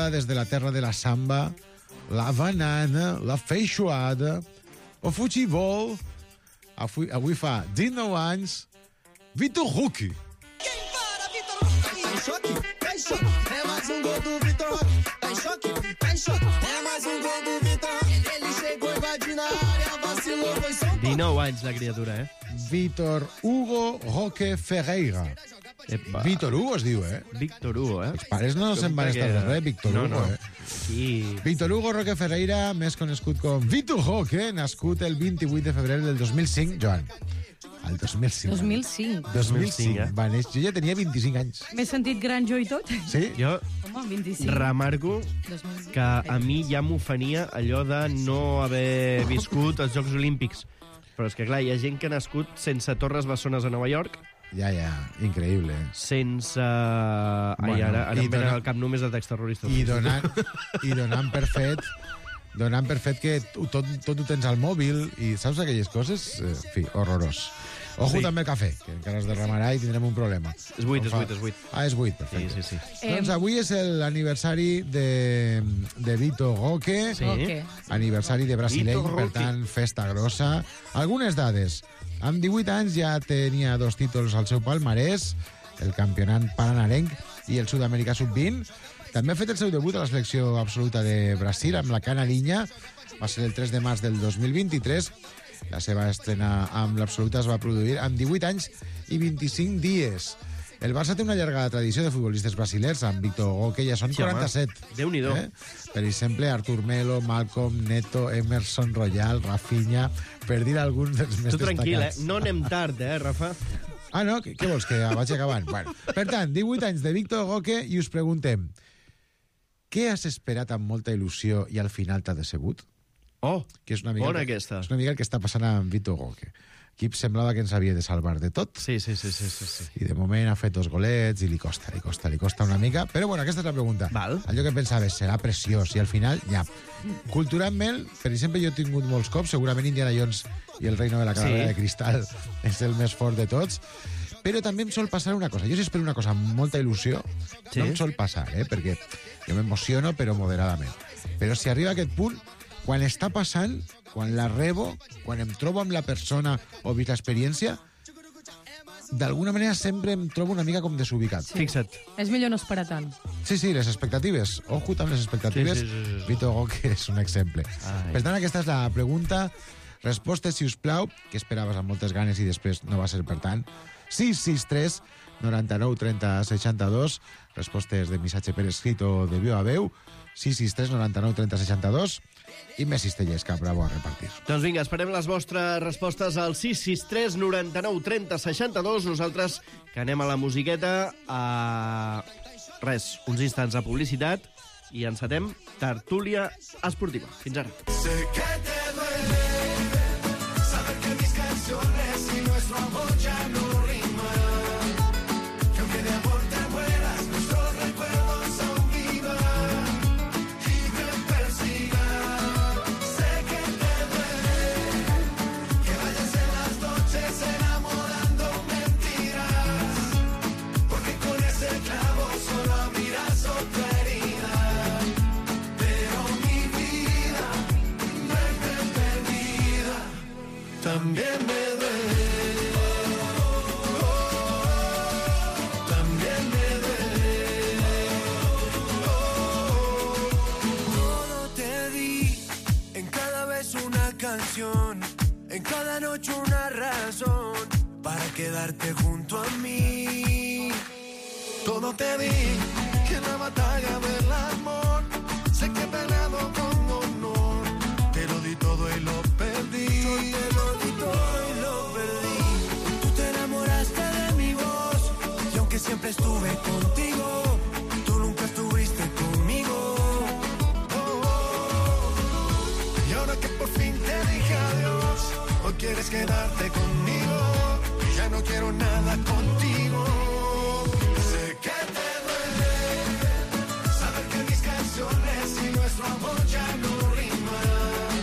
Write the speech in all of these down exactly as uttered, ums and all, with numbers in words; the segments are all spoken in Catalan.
entrada des de la terra de la samba, la banana, la feijoada, o futebol. Avui, avui fa dinou anys, Vitor Roque. Quem para, Vitor Roque? Tá em choque? Tá em choque. É mais um gol do Vitor Roque. Tá em choque? Tá em choque. É mais um gol do Vitor Roque. Ele chegou invadindo a área, vacilou, foi São Paulo. dinou anys, la criatura, eh? Víctor Hugo Roque Ferreira. Epa. Víctor Hugo es diu, eh? Víctor Hugo, eh? Els pares no se'n van estar de res, Víctor no, Hugo, no. eh? Sí. Víctor Hugo Roque Ferreira, més conegut com Vitor Roque, nascut el vint-i-vuit de febrer del dos mil cinc, Joan. El dos mil cinc. dos mil cinc. dos mil cinc, eh? va néixer. Jo ja tenia vint-i-cinc anys. M'he sentit gran jo i tot. Sí? Jo Home, vint-i-cinc. remarco dos mil cinc. que a mi ja m'ofenia allò de no haver viscut els Jocs Olímpics. Però és que, clar, hi ha gent que ha nascut sense Torres Bessones a Nova York, Ja, ja, increïble. sense... Ai, Bueno, ara, ara i em venen dona- al cap només atacs terroristes. I donant, i donant per fet donant per fet que tu- tot, tot ho tens al mòbil i saps aquelles coses? Eh, En fi, horrorós. Ojo Sí. també el cafè, que encara es derramarà i tindrem un problema. És vuit, Com és fa- vuit, és vuit. Ah, és vuit, Sí, perfecte. sí, sí. Em, Doncs avui és l'aniversari de, de Vitor Roque, Sí. Ok. aniversari de brasileny, Vitor per Roque. tant, festa grossa. Algunes dades. Amb divuit anys ja tenia dos títols al seu palmarès, el campionat pananarenc i el sud-americà sub vint. També ha fet el seu debut a la selecció absoluta de Brasil amb la Canarinya. Va ser el tres de març del dos mil vint-i-tres. La seva estrena amb l'absoluta es va produir amb divuit anys i vint-i-cinc dies. El Barça té una llarga tradició de futbolistes brasilers, amb Vitor Roque ja són Sí, home. quaranta-set. Déu-n'hi-do. Per exemple, Artur Melo, Malcolm, Neto, Emerson Royal, Rafinha, per dir alguns dels més Tu tranquil, eh? destacats. No anem tard, eh, Rafa? Ah, no? Què, què vols, que vagi acabant? Bueno, per tant, divuit anys de Vitor Roque i us preguntem, què has esperat amb molta il·lusió i al final t'ha decebut? Oh, Que és una mica bona el que, aquesta. És una mica el que està passant amb Vitor Roque. Aquí semblava que ens havia de salvar de tot. Sí, sí, sí, sí, sí, sí. I de moment ha fet dos golets i li costa, li costa, li costa una mica. Però bueno, aquesta és la pregunta. Val. Allò que pensaves, serà preciós, i al final, ja. Culturalment, per exemple, jo he tingut molts cops, segurament Indiana Jones i el reino de la calavera Sí. de cristal és el més fort de tots, però també em sol passar una cosa. Jo si espero una cosa amb molta il·lusió, Sí. no em sol passar, eh? Perquè jo m'emociono, però moderadament. Però si arriba a aquest punt, quan està passant, quan la rebo, quan em trobo amb la persona o visc l'experiència, d'alguna manera sempre em trobo una mica com desubicat. Sí, Fixa't. És millor no esperar tant. sí, sí les expectatives. Ojo amb les expectatives. Sí, sí, sí, sí. Vitor Roque és un exemple. Ai. Per tant, aquesta és la pregunta. Respostes, si us plau, que esperaves amb moltes ganes i després no va ser per tant. sis sis tres, noranta-nou, trenta, seixanta-dos. Respostes de missatge per escrit o de veu a veu. sis sis tres, noranta-nou, trenta, seixanta-dos. I més cistellers que bravo a repartir. Doncs vinga, esperem les vostres respostes al sis sis tres, noranta-nou, trenta, seixanta-dos. Nosaltres que anem a la musiqueta a... Res, uns instants de publicitat i encetem Tertúlia Esportiva. Fins ara. Sé que te duele saber que mis canciones y nuestro amor ya no riman. Que aunque de amor te mueras, nuestros recuerdos aún vivan y me persigan. Sé que te duele que vayas en las noches enamorando mentiras, porque con ese clavo solo abrirás otra herida. Pero mi vida no es perdida, también me duele, también me duele. Todo te di, en cada vez una canción, en cada noche una razón para quedarte junto a mí. Todo te di, que en la batalla del amor sé que he peleado con honor. Te lo di todo y lo perdí. Yo te lo di todo y lo perdí. Tú te enamoraste de mi voz y aunque siempre estuve contigo, tú nunca estuviste conmigo. Oh, oh. Y ahora que por fin te dije adiós, hoy quieres quedarte conmigo y ya no quiero nada contigo. Sé que te duele saber que mis canciones y nuestro amor ya no riman.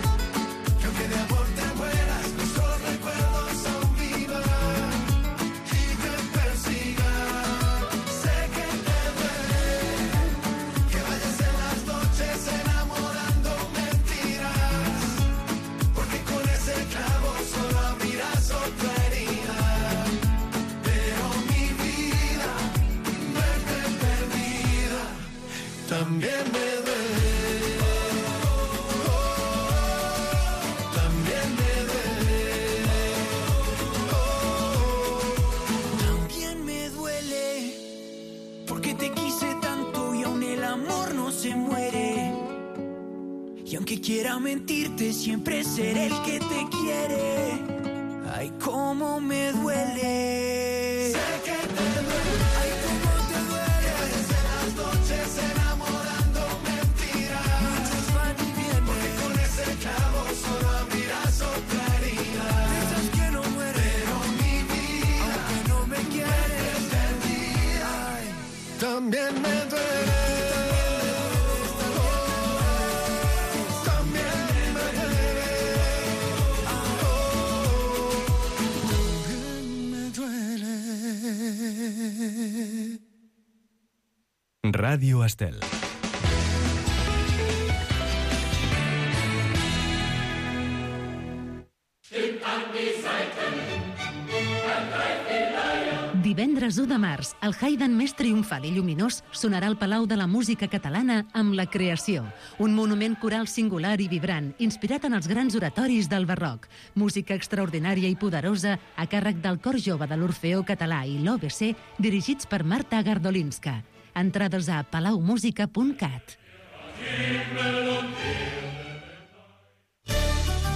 Que aunque de amor te mueras, nuestros recuerdos aún vivan y me persigan. Sé que te duele que vayas en las También me duele, oh, también me duele, oh, también me duele, porque te quise tanto y aún el amor no se muere. Y aunque quiera mentirte, siempre seré el que te quiere. Ay, cómo me duele. Sé que te duele. Ay, cómo te duele. Desde las noches enamorando mentiras. Muchos van y vienen. Porque con ese clavo solo abrirás otra herida. Piensas que no muere, pero mi vida, aunque no me quieres, perdida. Ay, también me duele. Ràdio Estel. Divendres u de març, el Haydn més triomfal i lluminós sonarà al Palau de la Música Catalana amb La Creació, un monument coral singular i vibrant, inspirat en els grans oratoris del barroc. Música extraordinària i poderosa a càrrec del Cor Jove de l'Orfeó Català i l'O B C, dirigits per Marta Gardolinska. Entrades a palaumusica punt cat.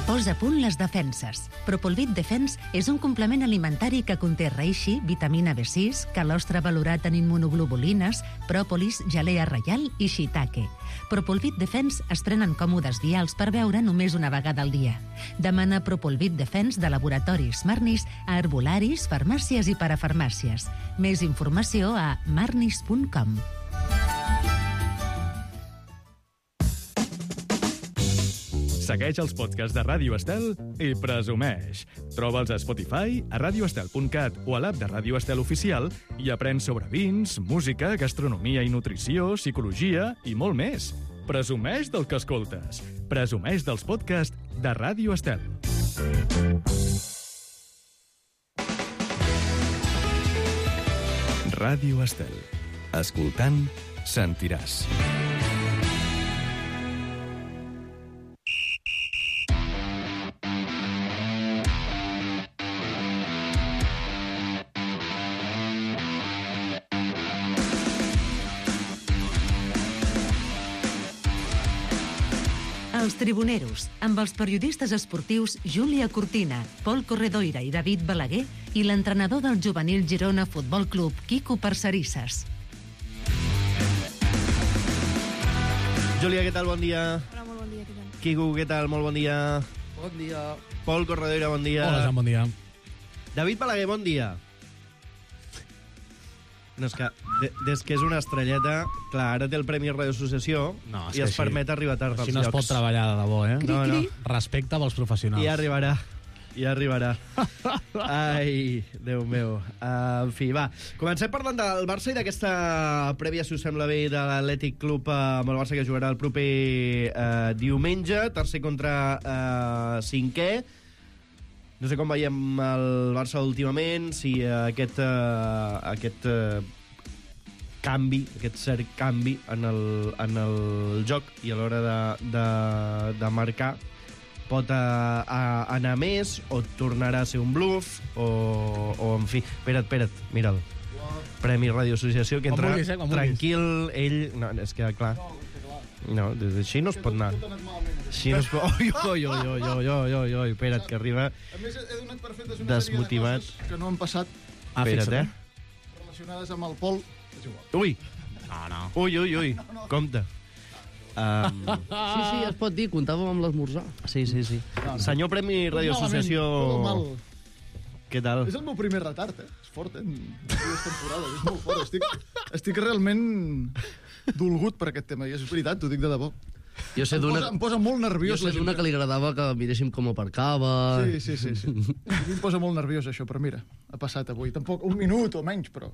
Posa a punt les defenses. Propolvit Defense és un complement alimentari que conté reishi, vitamina B sis, calostre valorat en immunoglobulines, pròpolis, gelea reial i shiitake. Propolvit Defense es prenen còmodes vials per beure només una vegada al dia. Demana Propolvit Defense de laboratoris Marnis a herbolaris, farmàcies i parafarmàcies. Més informació a marnis punt com. Segueix els podcasts de Ràdio Estel i presumeix. Troba'ls a Spotify, a radio estel punt cat o a l'app de Ràdio Estel Oficial i aprèn sobre vins, música, gastronomia i nutrició, psicologia i molt més. Presumeix del que escoltes. Presumeix dels podcasts de Ràdio Estel. Ràdio Estel. Escoltant, sentiràs. Els Tribuneros, amb els periodistes esportius Júlia Cortina, Pol Corredoira i David Balaguer i l'entrenador del juvenil Girona Futbol Club, Quico Parcerisses. Júlia, què tal? Bon dia. Hola, molt bon dia, què tal? Quico, què tal? Molt bon dia. Bon dia. Pol Corredoira, bon dia. Hola, Joan, bon dia. David Balaguer, bon dia. No, és que de, des que és una estrelleta, clar, ara té el Premi Radio Associació No, és i que es així- permet arribar tard als Així no es llocs. pot treballar de debò, eh? No, no. Respecte pels professionals. I arribarà. I arribarà. Ai, Déu meu. Uh, en fi, va. Comencem parlant del Barça i d'aquesta prèvia, si us sembla bé, de l'Atlètic Club uh, amb el Barça que jugarà el proper uh, diumenge, tercer contra uh, cinquè. No sé com veiem el Barça últimament, si uh, aquest, uh, aquest uh, canvi, aquest cert canvi en el, en el joc i a l'hora de, de, de marcar pot uh, uh, anar més o tornarà a ser un bluff o, o en fi, espera't, espera't, mira'l. Premi Radio Associació, que Com entra vulguis, eh, com vulguis. tranquil, ell... No, és que, clar... No, des així no es pot anar. Així no es pot... Oi, oi, oi, oi, oi, oi, oi, oi, espera't, que arriba A més, he donat per fetes una desmotivat. sèrie de coses que no han passat Ah, Espera't, fixa't, eh? relacionades amb el Pol. És igual. Ui, No, no. ui, ui, ui, compte. Um, Sí, sí, es pot dir, comptàvem amb l'esmorzar. sí, sí, sí. Senyor Premi Radio Associació... Tot mal. Què tal? És el meu primer retard, eh? És fort, eh? En dues temporades, és molt fort. Estic, estic realment dolgut per aquest tema, i és veritat, t'ho dic de debò. Jo sé Em d'una... posa, em posa molt Jo nerviós sé la gent d'una que li agradava que miréssim com aparcava... Sí, sí, sí, sí. A mi em posa molt nerviós això, però mira, ha passat avui. Tampoc un minut o menys, però...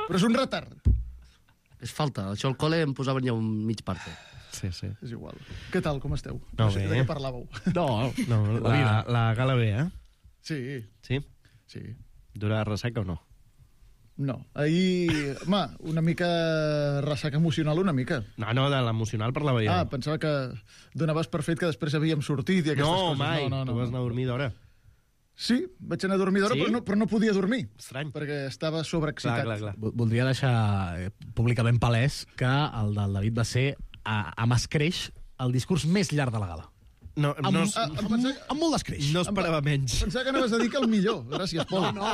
Però és un retard. És falta. Això al col·le em posaven ja un mig parte. Sí, sí. És igual. Què tal, com esteu? No, sé bé. de què parlàveu. No, No, La vida. la, la gala bé, eh? Sí, Sí? sí. Durà ressaca o no? No. Ahir, home, una mica ressaca emocional, una mica. No, no, de l'emocional parlava jo. Ah, pensava que donaves per fet que després havíem sortit i aquestes no, coses. mai. No, no, no. Tu vas anar a dormir d'hora. Sí, vaig anar a dormir d'hora, Sí? però, no, però no podia dormir. Estrany. Perquè estava sobreexcitat. Clar, clar, clar. Vo- Voldria deixar eh, públicament palès que el del David va ser, a, amb escreix, el discurs més llarg de la gala. No, Amb, no, Ah, amb, em pensava, amb molt d'escreix. no esperava menys. pensava que anaves a dir que el millor. Gràcies, Pol. No,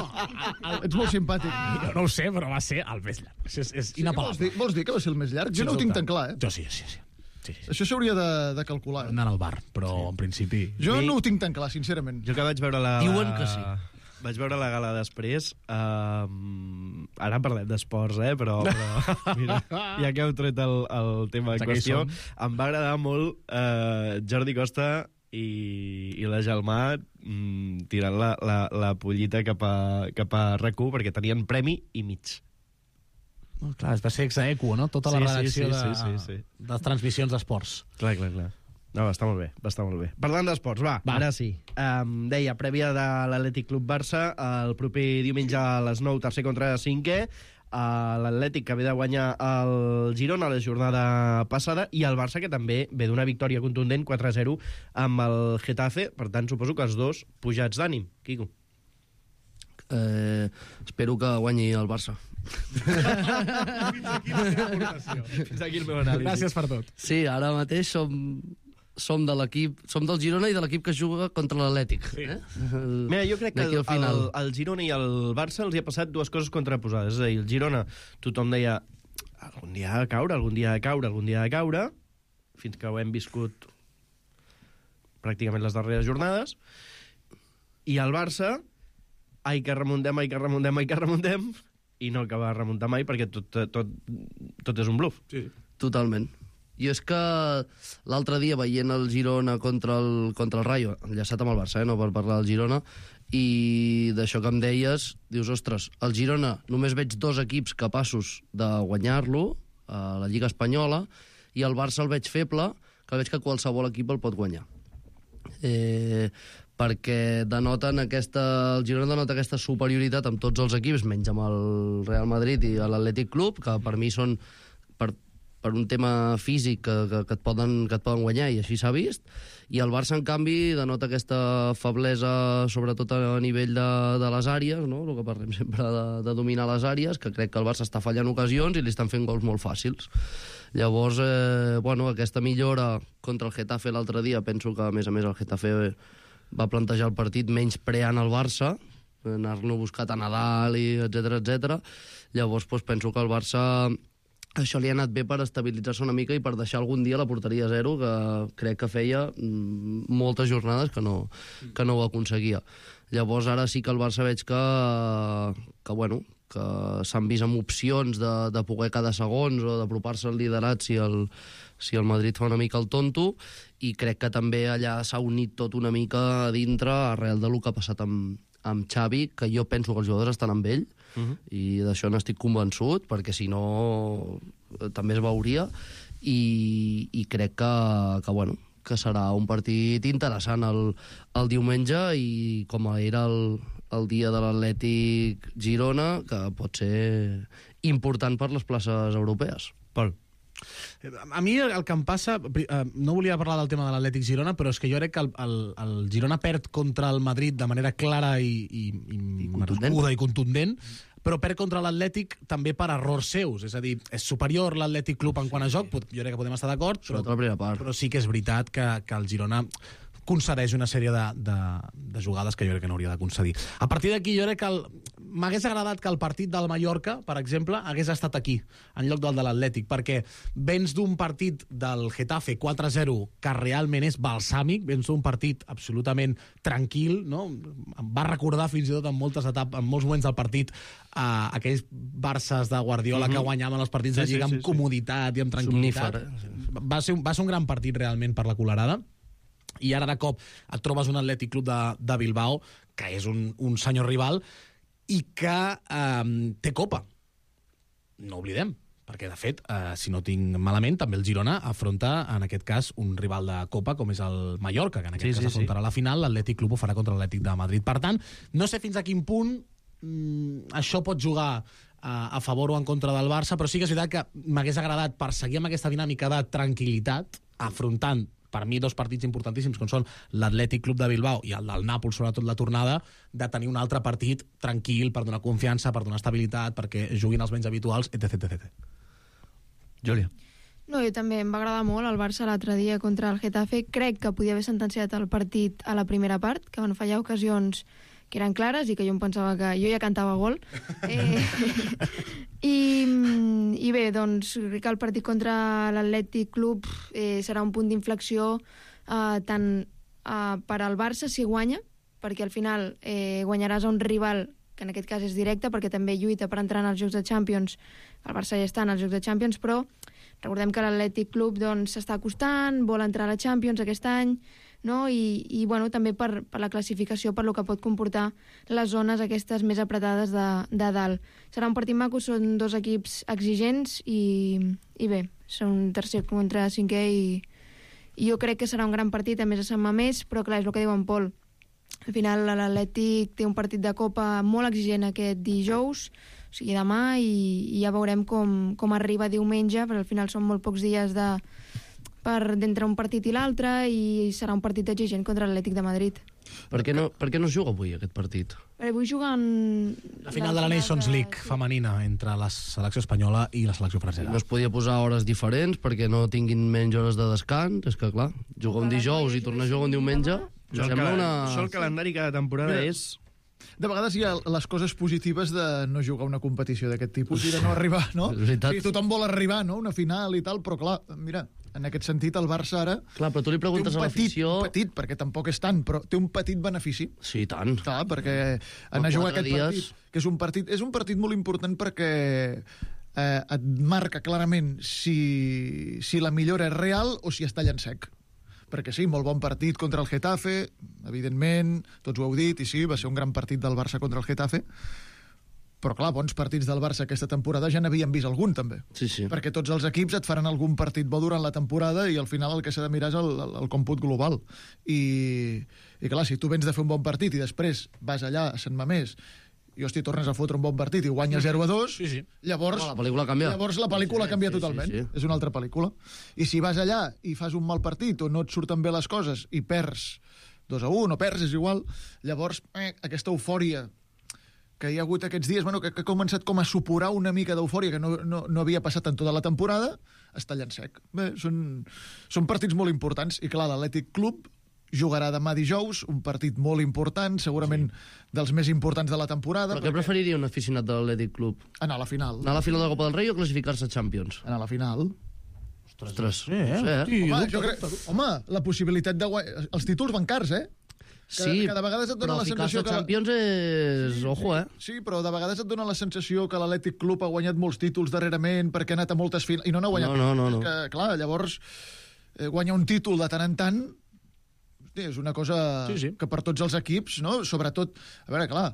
Ets molt simpàtic. Jo no ho sé, però va ser el més llarg. És, és Sí, vols, inapel·lable. dir, vols dir que va ser el més llarg? Jo no ho tinc tan clar, eh? Jo sí, sí, sí. sí, sí. Això s'hauria de, de calcular. Anant al bar, però sí. en principi... Jo Mi- no ho tinc tan clar, sincerament. Jo que vaig veure la... Diuen que sí. Vaig veure la gala després. Uh, ara parlem d'esports, eh? Però, però mira, ja que heu tret el, el tema en Ja que hi qüestió, som. em va agradar molt uh, Jordi Costa i, i la Gelmà mm, tirant la, la, la pollita cap a, cap a R A C u perquè tenien premi i mig. No, clar, va ser exaequo, no? Tota la Sí, sí, redacció sí, de, sí, sí, sí. de transmissions d'esports. Clar, clar, clar. No, està molt bé, va estar molt bé. Parlant d'esports, va, Va. va, ara sí. Um, deia, prèvia de l'Atlètic Club Barça, el proper diumenge a les nou, tercer contra cinquè, uh, l'Atlètic que ve de guanyar el Girona la jornada passada, i el Barça que també ve d'una victòria contundent quatre a zero amb el Getafe, per tant suposo que els dos pujats d'ànim. Quico. Eh, espero que guanyi el Barça. Fins aquí el meu anàlisi. Gràcies per tot. Sí, ara mateix som, som de l'equip, som del Girona i de l'equip que juga contra l'Atlètic. Sí. Eh? Mira, jo crec que D'aquí el, al final. el, el Girona i el Barça els hi ha passat dues coses contraposades. És a dir, el Girona, tothom deia algun dia ha de caure, algun dia ha de caure, algun dia ha de caure, fins que ho hem viscut pràcticament les darreres jornades. I el Barça, ai que remuntem, ai que remuntem, ai que remuntem, i no acaba de remuntar mai perquè tot, tot, tot és un bluff. Sí. Totalment. I és que l'altre dia, veient el Girona contra el, contra el Rayo, enllaçat amb el Barça, eh, no per parlar del Girona, i d'això que em deies, dius, ostres, el Girona només veig dos equips capaços de guanyar-lo, a la Lliga Espanyola, i el Barça el veig feble, que veig que qualsevol equip el pot guanyar. Eh, perquè denoten aquesta, el Girona denota aquesta superioritat amb tots els equips, menys amb el Real Madrid i l'Atlètic Club, que per mi són per, per un tema físic que, que, que, et poden, que et poden guanyar, i així s'ha vist. I el Barça, en canvi, denota aquesta feblesa, sobretot a nivell de, de les àrees, no? El que parlem sempre de, de dominar les àrees, que crec que el Barça està fallant ocasions i li estan fent gols molt fàcils. Llavors, eh, bueno, aquesta millora contra el Getafe l'altre dia, penso que, a més a més, el Getafe va plantejar el partit menys preant el Barça, anar-lo buscat a Nadal, i etcètera etcètera. Llavors, doncs, penso que el Barça això li ha anat bé per estabilitzar-se una mica i per deixar algun dia la porteria a zero, que crec que feia mm, moltes jornades que no, que no ho aconseguia. Llavors, ara sí que el Barça veig que, que bueno, que s'han vist amb opcions de, de poder cada segons o d'apropar-se al liderat si el, si el Madrid fa una mica el tonto, i crec que també allà s'ha unit tot una mica a dintre arrel del que ha passat amb, amb Xavi, que jo penso que els jugadors estan amb ell, uh -huh. i d'això n'estic convençut, perquè si no també es veuria, i, i crec que, que, bueno, que serà un partit interessant el, el diumenge, i com era el, el dia de l'Atlètic Girona, que pot ser important per les places europees. Pol. A mi el que em passa... eh, No volia parlar del tema de l'Atlètic Girona, però és que jo crec que el, el, el Girona perd contra el Madrid de manera clara i, i, i, I contundent. marcuda i contundent, però perd contra l'Atlètic també per errors seus. És a dir, és superior l'Atlètic Club en quant a joc, pot- jo crec que podem estar d'acord, però, Sobretot la primera part. però sí que és veritat que, que el Girona concedeix una sèrie de, de, de jugades que jo crec que no hauria de concedir. A partir d'aquí jo crec que el- m'hagués agradat que el partit del Mallorca, per exemple, hagués estat aquí, en lloc del de l'Atlètic, perquè vens d'un partit del Getafe quatre a zero que realment és balsàmic, vens d'un partit absolutament tranquil, no? Em va recordar fins i tot en moltes etapes, en molts moments del partit, a aquells Barças de Guardiola, mm-hmm, que guanyaven els partits Sí, de Lliga sí, sí, amb sí. comoditat i amb tranquil·litat. Somnífer, eh? Va ser, un- va ser un gran partit realment per la Colerada, i ara de cop et trobes un Atlètic Club de, de Bilbao, que és un, un senyor rival, i que eh, té Copa. No oblidem, perquè, de fet, eh, si no tinc malament, també el Girona afronta, en aquest cas, un rival de Copa, com és el Mallorca, que en aquest Sí, cas sí, afrontarà sí. la final, l'Atlètic Club ho farà contra l'Atlètic de Madrid. Per tant, no sé fins a quin punt mm, això pot jugar a, a favor o en contra del Barça, però sí que és veritat que m'hagués agradat, per seguir amb aquesta dinàmica de tranquil·litat, afrontant per mi dos partits importantíssims, com són l'Atlètic Club de Bilbao i el del Nàpols, sobretot la tornada, de tenir un altre partit tranquil per donar confiança, per donar estabilitat, perquè juguin els menys habituals, etc etcètera. Júlia. No, jo també em va agradar molt el Barça l'altre dia contra el Getafe. Crec que podia haver sentenciat el partit a la primera part, que van fallar ocasions que eren clares i que jo em pensava que jo ja cantava gol. Eh, i, I bé, doncs, crec que el partit contra l'Atlètic Club eh, serà un punt d'inflexió eh, tant eh, per al Barça si guanya, perquè al final eh, guanyaràs a un rival que en aquest cas és directe, perquè també lluita per entrar en els Jocs de Champions. El Barça ja està en els Jocs de Champions, però recordem que l'Atlètic Club doncs, s'està acostant, vol entrar a la Champions aquest any, no? I, i bueno, també per, per la classificació, per lo que pot comportar les zones aquestes més apretades de, de dalt. Serà un partit maco, són dos equips exigents i, i bé, són un tercer contra cinquè i, i jo crec que serà un gran partit, a més a Sant Mamés, però clar, és el que diu en Pol. Al final l'Atlètic té un partit de Copa molt exigent aquest dijous, o sigui demà, i, i ja veurem com, com arriba diumenge, però al final són molt pocs dies de, per d'entre un partit i l'altre, i serà un partit exigent contra l'Atlètic de Madrid. Per què no, per què no es juga avui aquest partit? Perquè avui juguen... La final de la Nations League femenina entre la selecció espanyola i la selecció francesa. No es podia posar hores diferents perquè no tinguin menys hores de descans? És que, clar, jugar un dijous i tornar a jugar un diumenge... Això el, una... això el calendari cada temporada Mira, és... De vegades hi ha les coses positives de no jugar una competició d'aquest tipus i de no arribar, no? És Sí, tothom vol arribar, no?, una final i tal, però clar, mira, en aquest sentit el Barça ara... Clar, però tu li preguntes té un a petit, l'afició... un petit, perquè tampoc és tant, però té un petit benefici. Sí, tant. Clar, perquè anar a jugar quatre aquest dies... partit, que és un partit, és un partit molt important perquè eh, et marca clarament si, si la millora és real o si es talla en sec. Perquè sí, molt bon partit contra el Getafe, evidentment, tots ho heu dit, i sí, va ser un gran partit del Barça contra el Getafe, però clar, bons partits del Barça aquesta temporada ja n'havíem vist algun, també. Sí, sí. Perquè tots els equips et faran algun partit bo durant la temporada i al final el que s'ha de mirar és el, el, el còmput global. I, I clar, si tu vens de fer un bon partit i després vas allà a Sant Mamés i, hòstia, tornes a fotre un bon partit i guanyes zero a dos, Sí, sí. llavors, No, la pel·lícula canvia. llavors la pel·lícula Sí, canvia sí, totalment. sí, sí. És una altra pel·lícula. I si vas allà i fas un mal partit o no et surten bé les coses i perds dos a un o perds, és igual, llavors eh, aquesta eufòria que hi ha hagut aquests dies, bueno, que, que ha començat com a supurar una mica d'eufòria que no, no, no havia passat en tota la temporada, es talla en sec. Bé, són, són partits molt importants i clar, l'Atlètic Club jugarà demà dijous, un partit molt important, segurament sí. dels més importants de la temporada. Però què perquè... preferiria un aficionat de l'Atlètic Club? Anar a la final. Anar a la final de la Copa del Rei o classificar-se a Champions? Anar a la final. Ostres, Sí, eh? no sé, eh? Sí, Home, dubte, jo crec... dubte. Home, la possibilitat de guanyar... Els títols van cars, eh? Que, Sí, que de vegades et dona però la sensació ficar-se a que... Champions és... Ojo, eh? Sí, però de vegades et dona la sensació que l'Atlètic Club ha guanyat molts títols darrerament perquè ha anat a moltes finals... I no n'ha guanyat. No, no, no, no. És que, clar, llavors, eh, guanyar un títol de tant en tant hosti, és una cosa Sí, sí. que per tots els equips, no? Sobretot, a veure, clar,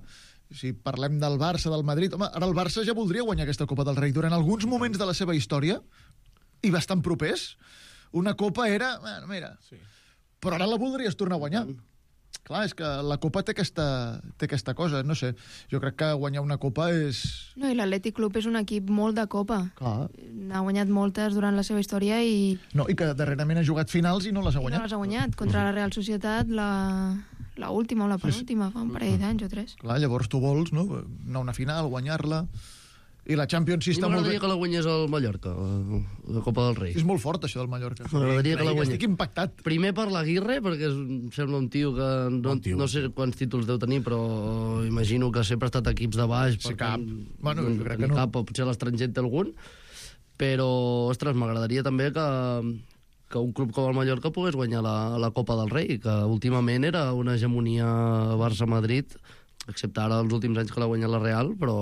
si parlem del Barça, del Madrid... Home, ara el Barça ja voldria guanyar aquesta Copa del Rei. Durant alguns moments de la seva història, i bastant propers, una Copa era... Bueno, mira, sí. Però ara la voldries tornar a guanyar. Clar, és que la Copa té aquesta, té aquesta cosa, no sé. Jo crec que guanyar una Copa és... No, i l'Atlètic Club és un equip molt de Copa. Clar. N'ha guanyat moltes durant la seva història i... No, i que darrerament ha jugat finals i no les ha I no guanyat. les ha guanyat. Contra la Real Societat, la, la última o la penúltima, fa un parell d'anys o tres. Clar, llavors tu vols, no?, anar a una final, guanyar-la... I la Champions sí A mi està molt bé. m'agradaria que la guanyés el Mallorca, la, la Copa del Rei. És molt fort, això del Mallorca. M'agradaria que la guanyés. Estic impactat. Primer per l'Aguirre, perquè és, em sembla un tio que no, Bon tio. no sé quants títols deu tenir, però imagino que sempre ha estat a equips de baix. Sí, per cap. tant, Bueno, jo no crec tenir que no. cap, o potser a l'estranger en té algun. Però, ostres, m'agradaria també que, que un club com el Mallorca pogués guanyar la, la Copa del Rei, que últimament era una hegemonia Barça-Madrid, excepte ara els últims anys que l'ha guanyat la Real, però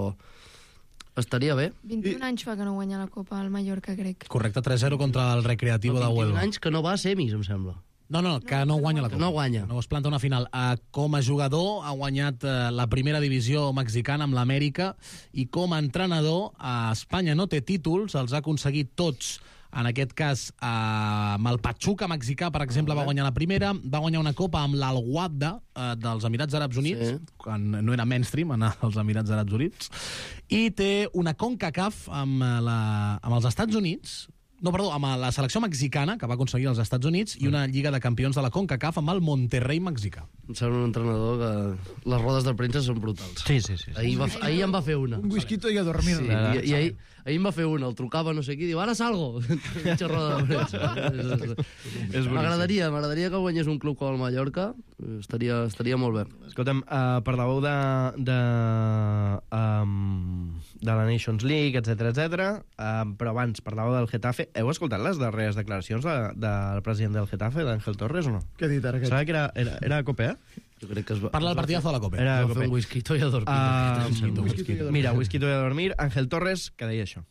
estaria bé. vint-i-un anys fa que no guanya la Copa al Mallorca, crec. Correcte, tres zero contra el Recreativo de vint-i-un Huelva. anys que no va a semis, em sembla. No, no, que no guanya la Copa. No guanya. No es planta una final. Uh, com a jugador ha guanyat uh, la primera divisió mexicana amb l'Amèrica i com a entrenador a Espanya no té títols, els ha aconseguit tots en aquest cas eh, amb el Pachuca mexicà, per exemple, va guanyar la primera, va guanyar una copa amb l'Al-Wahda eh, dels Emirats Àrabs Units, sí. quan no era mainstream anar als Emirats Àrabs Units, i té una CONCACAF amb, la, amb els Estats Units, no, perdó, amb la selecció mexicana, que va aconseguir als Estats Units, i una Lliga de Campions de la CONCACAF amb el Monterrey mexicà. Em sembla un entrenador que les rodes de premsa són brutals. Sí, sí, sí. Ahir, va, ahir em va fer una. Un whisquito i a dormir. Sí, i, i ahir, ahir em va fer una, el trucava no sé qui, diu, ara salgo. Mitja roda de premsa. M'agradaria, m'agradaria que guanyés un club com el Mallorca, estaria, estaria molt bé. Escolta'm, uh, parlàveu de, de, um, de la Nations League, etcètera, etcètera, um, però abans parlàveu del Getafe. Heu escoltat les darreres declaracions de, del president del Getafe, d'Àngel Torres, o no? Què ha dit ara? Sabia que era, era, era a Cope, eh? Jo crec que es va... Parla del partidazo de la Copa. Era a Va fer Cope. un whisquito i a dormir. Uh, whisky, mira, whisky y a dormir. Ángel Torres, que deia això.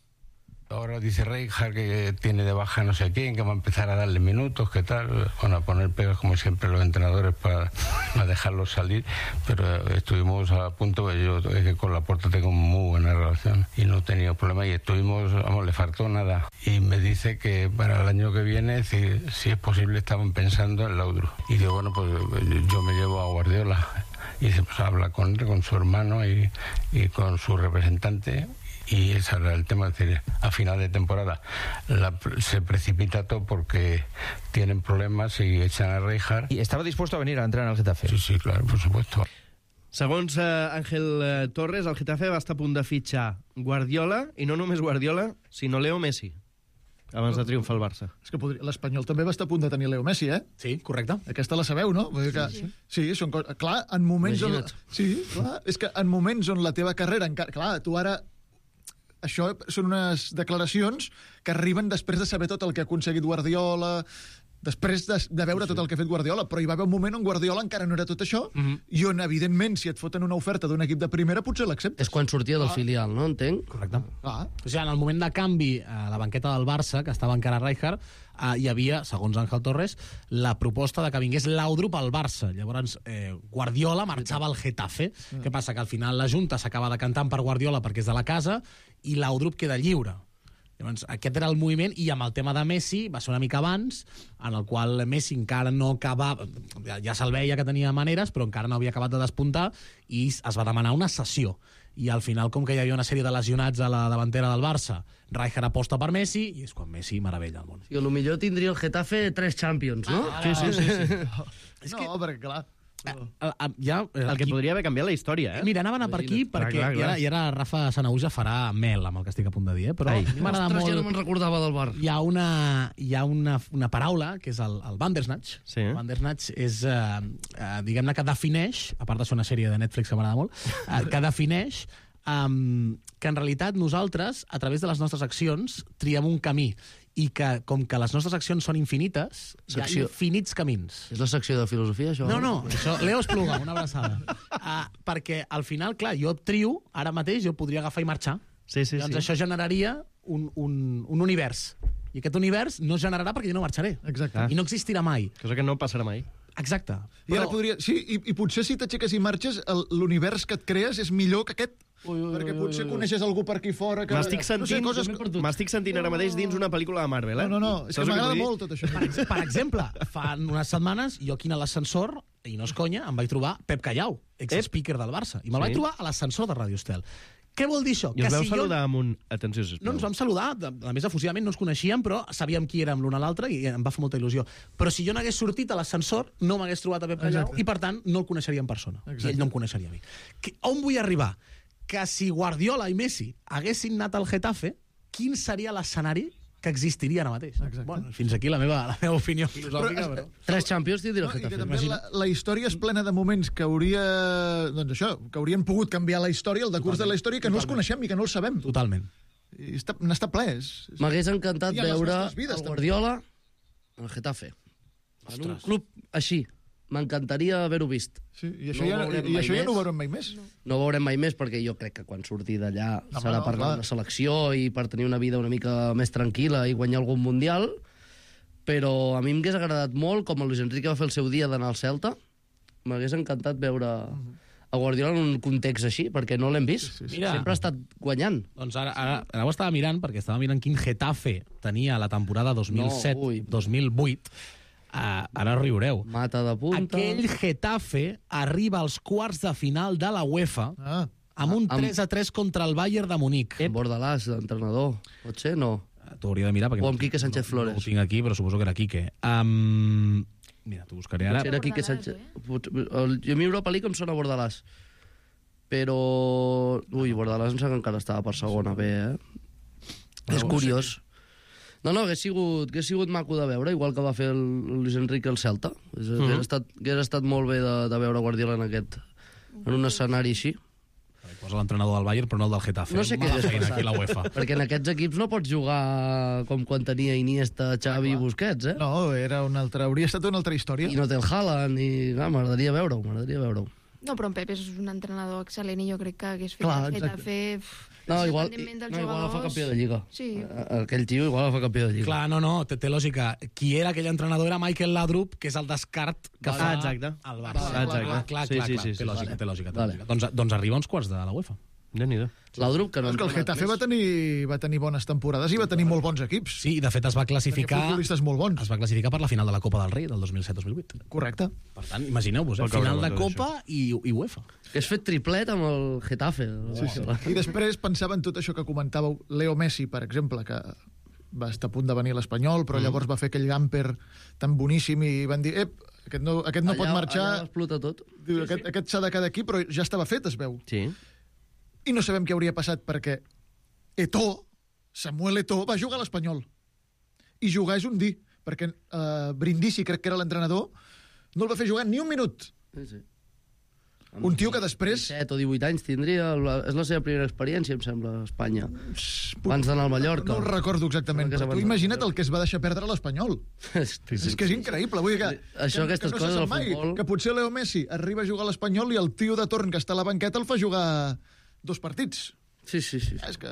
Ahora dice Rijkaard que tiene de baja no sé quién, que va a empezar a darle minutos, que tal, bueno, a poner pegas como siempre los entrenadores para, para dejarlos salir, pero estuvimos a punto, yo es que con Laporta tengo muy buena relación y no he tenido problema y estuvimos, vamos, le faltó nada. Y me dice que para el año que viene, si, si es posible, estaban pensando en Laudrup. Y digo, bueno, pues yo me llevo a Guardiola. Y se pues, habla con él, con su hermano y, y con su representante. Y ese era el tema, es decir, a final de temporada la, se precipita todo porque tienen problemas y echan a Rijkaard. ¿Y estaba dispuesto a venir a entrenar al Getafe? Sí, sí, claro, por supuesto. Segons eh, Ángel eh, Torres, el Getafe va estar a punt de fitxar Guardiola, i no només Guardiola, sinó Leo Messi, abans de triomfar el Barça. És que podria... l'Espanyol també va estar a punt de tenir Leo Messi, eh? Sí, correcte. Aquesta la sabeu, no? Vull dir que... Sí, sí. sí són coses... Clar, en moments on... Sí, clar, és que en moments on la teva carrera encara... Clar, tu ara... Això són unes declaracions que arriben després de saber tot el que ha aconseguit Guardiola, després de, de veure sí, sí. tot el que ha fet Guardiola, però hi va haver un moment on Guardiola encara no era tot això, mm -hmm. i on, evidentment, si et foten una oferta d'un equip de primera, potser l'acceptes. És quan sortia del ah. filial, no? Entenc? Correcte. Ah. O sigui, en el moment de canvi a la banqueta del Barça, que estava encara Rijkaard, eh, hi havia, segons Ángel Torres, la proposta de que vingués Laudrup al Barça. Llavors, eh, Guardiola marxava al Getafe. Mm. Què passa? Que al final la Junta s'acaba decantant per Guardiola perquè és de la casa i Laudrup queda lliure. Llavors, aquest era el moviment, i amb el tema de Messi va ser una mica abans, en el qual Messi encara no acabava, ja, ja se'l veia que tenia maneres, però encara no havia acabat de despuntar, i es va demanar una cessió. I al final, com que hi havia una sèrie de lesionats a la davantera del Barça, Rijkaard aposta per Messi, i és quan Messi meravella el món. I potser tindria el Getafe tres Champions, no? Ah, sí, sí, sí. sí. És que... No, perquè clar... Ja, el que podria haver canviat la història, eh? Mira, anava a anar per aquí, perquè clar, clar, clar. I, ara, i ara Rafa Sanahuja farà mel amb el que estic a punt de dir, eh? Però m'agrada molt... Ja no me'n recordava del bar. Hi ha una, hi ha una, una paraula, que és el, el Bandersnatch. Sí. El Bandersnatch és, eh, eh, diguem-ne, que defineix, a part de ser una sèrie de Netflix que m'agrada molt, eh, que defineix um, que en realitat nosaltres, a través de les nostres accions, triem un camí, i que, com que les nostres accions són infinites, secció. Hi ha infinits camins. És la secció de filosofia, això? No, no, això, Leo Espluga, una abraçada. Uh, perquè, al final, clar, jo trio, ara mateix, jo podria agafar i marxar. Sí, sí, doncs sí. això generaria un, un, un univers. I aquest univers no es generarà perquè jo no marxaré. Exacte. I no existirà mai. Cosa que no passarà mai. Exacte. I ara podria... Sí, i, i potser si t'aixeques i marxes, l'univers que et crees és millor que aquest. Ui, ui, perquè potser ui, ui. coneixes algú per aquí fora que... M'estic sentint, no sé, coses... m'estic sentint ara mateix dins una pel·lícula de Marvel, eh? No, no, no, és que m'agrada molt tot això. Per, per exemple, fa unes setmanes, jo aquí a l'ascensor, i no és conya, em vaig trobar Pep Callau, ex-speaker del Barça, i me'l sí. vaig trobar a l'ascensor de Radio Estel. Què vol dir això? I us vau si saludar jo... amb un... Atenció, sisplau. No, ens vam saludar, a més efusivament no ens coneixíem, però sabíem qui érem l'un a l'altre i em va fer molta il·lusió. Però si jo n'hagués sortit a l'ascensor, no m'hagués trobat a Pep Callau i, per tant, no el coneixeria en persona. Exacte. I ell no em coneixeria a mi. Que, on vull arribar? Que si Guardiola i Messi haguessin anat al Getafe, quin seria l'escenari que existiria ara mateix? Exacte. Bueno, fins aquí la meva, la meva opinió filosòfica. Però, però... Tres Champions tindria el no, Getafe. També la, la història és plena de moments que hauria... Doncs això, que haurien pogut canviar la història, el decurs de la història, que Totalment. no els coneixem i que no els sabem. Totalment. I està, n'està ple. M'hagués encantat veure vides, el Guardiola al Getafe. En un club així. M'encantaria haver-ho vist. Sí, i això, no ja, i això ja no ho veurem mai més. No. no ho veurem mai més, perquè jo crec que quan surti d'allà no, serà no, per clar. una selecció i per tenir una vida una mica més tranquil·la i guanyar algun mundial, però a mi m'hagués agradat molt, com el Luis Enrique va fer el seu dia d'anar al Celta, m'hagués encantat veure a Guardiola en un context així, perquè no l'hem vist. Sí, sí. Mira. Sempre ha estat guanyant. Doncs ara, ara, ara ho estava mirant, perquè estava mirant quin Getafe tenia la temporada dos mil set dos mil vuit. Uh, ara riureu. Mata de punta. Aquell Getafe arriba als quarts de final de la UEFA ah. amb un tres a tres contra el Bayern de Munic. Amb Bordalàs, l'entrenador. Pot ser? No. T'ho hauria de mirar. O amb Quique Sánchez Flores. No, no ho tinc aquí, però suposo que era Quique. Um, mira, t'ho buscaré ara. Potser era Quique Sánchez. El, a mi Europa League em sona Bordalàs. Però... Ui, Bordalàs em sembla que encara estava per segona B, eh? És curiós. No, no, hagués sigut, hagués sigut maco de veure, igual que va fer el Luis Enrique el Celta. Hagués mm -hmm. estat, hagués estat molt bé de, de veure Guardiola en aquest, en un escenari així. Posa l'entrenador del Bayern, però no el del Getafe. No sé què és aquí la UEFA. Perquè en aquests equips no pots jugar com quan tenia Iniesta, Xavi i Busquets, eh? No, era una altra, hauria estat una altra història. I no té el Haaland, i ah, m'agradaria veure-ho, m'agradaria veure-ho. No, però en Pep és un entrenador excel·lent i jo crec que hagués fet Clar, el Getafe... No, igual, no, igual el fa campió de Lliga. Sí. Aquell tio igual el fa campió de Lliga. Clar, no, no, té, té lògica. Qui era aquell entrenador era Michael Laudrup, que és el descart que fa ah, exacte. el Barça. Vale, exacte. Clar, clar, sí, clar, sí, clar. sí, té sí, lògica, vale. té lògica. Té Vale. lògica. Doncs, doncs arriba a uns quarts de la UEFA. Déu-n'hi-do. Laudrup, que no... És que el Getafe va tenir, va tenir bones temporades i va tenir molt bons equips. Sí, de fet es va classificar... Tenia futbolistes molt bons. Es va classificar per la final de la Copa del Rei del dos mil set dos mil vuit. Correcte. Per tant, imagineu-vos, eh? Final de Copa i, i UEFA. Que has fet triplet amb el Getafe. Sí, sí. I després pensava en tot això que comentàveu. Leo Messi, per exemple, que va estar a punt de venir a l'Espanyol, però mm. llavors va fer aquell gamper tan boníssim i van dir, ep, aquest no, aquest no allà, pot marxar. Allà explota tot. Diu, aquest sí. aquest s'ha de quedar aquí, però ja estava fet, es veu. Sí. I no sabem què hauria passat perquè Eto'o, Samuel Eto'o, va jugar a l'Espanyol. I jugar és un dir, perquè uh, Brindisi, crec que era l'entrenador, no el va fer jugar ni un minut. Sí, sí. Un tio que després... disset o divuit anys tindria, és la seva primera experiència, em sembla, a Espanya. Abans d'anar al Mallorca. No, no el recordo exactament, però tu imagina't el que es va deixar perdre a l'Espanyol. Sí, sí, és que és increïble. Vull dir que, això, que, aquestes que no coses se del sap mai, futbol... que potser Leo Messi arriba a jugar a l'Espanyol i el tio de torn que està a la banqueta el fa jugar dos partits. Sí, sí, sí. És que...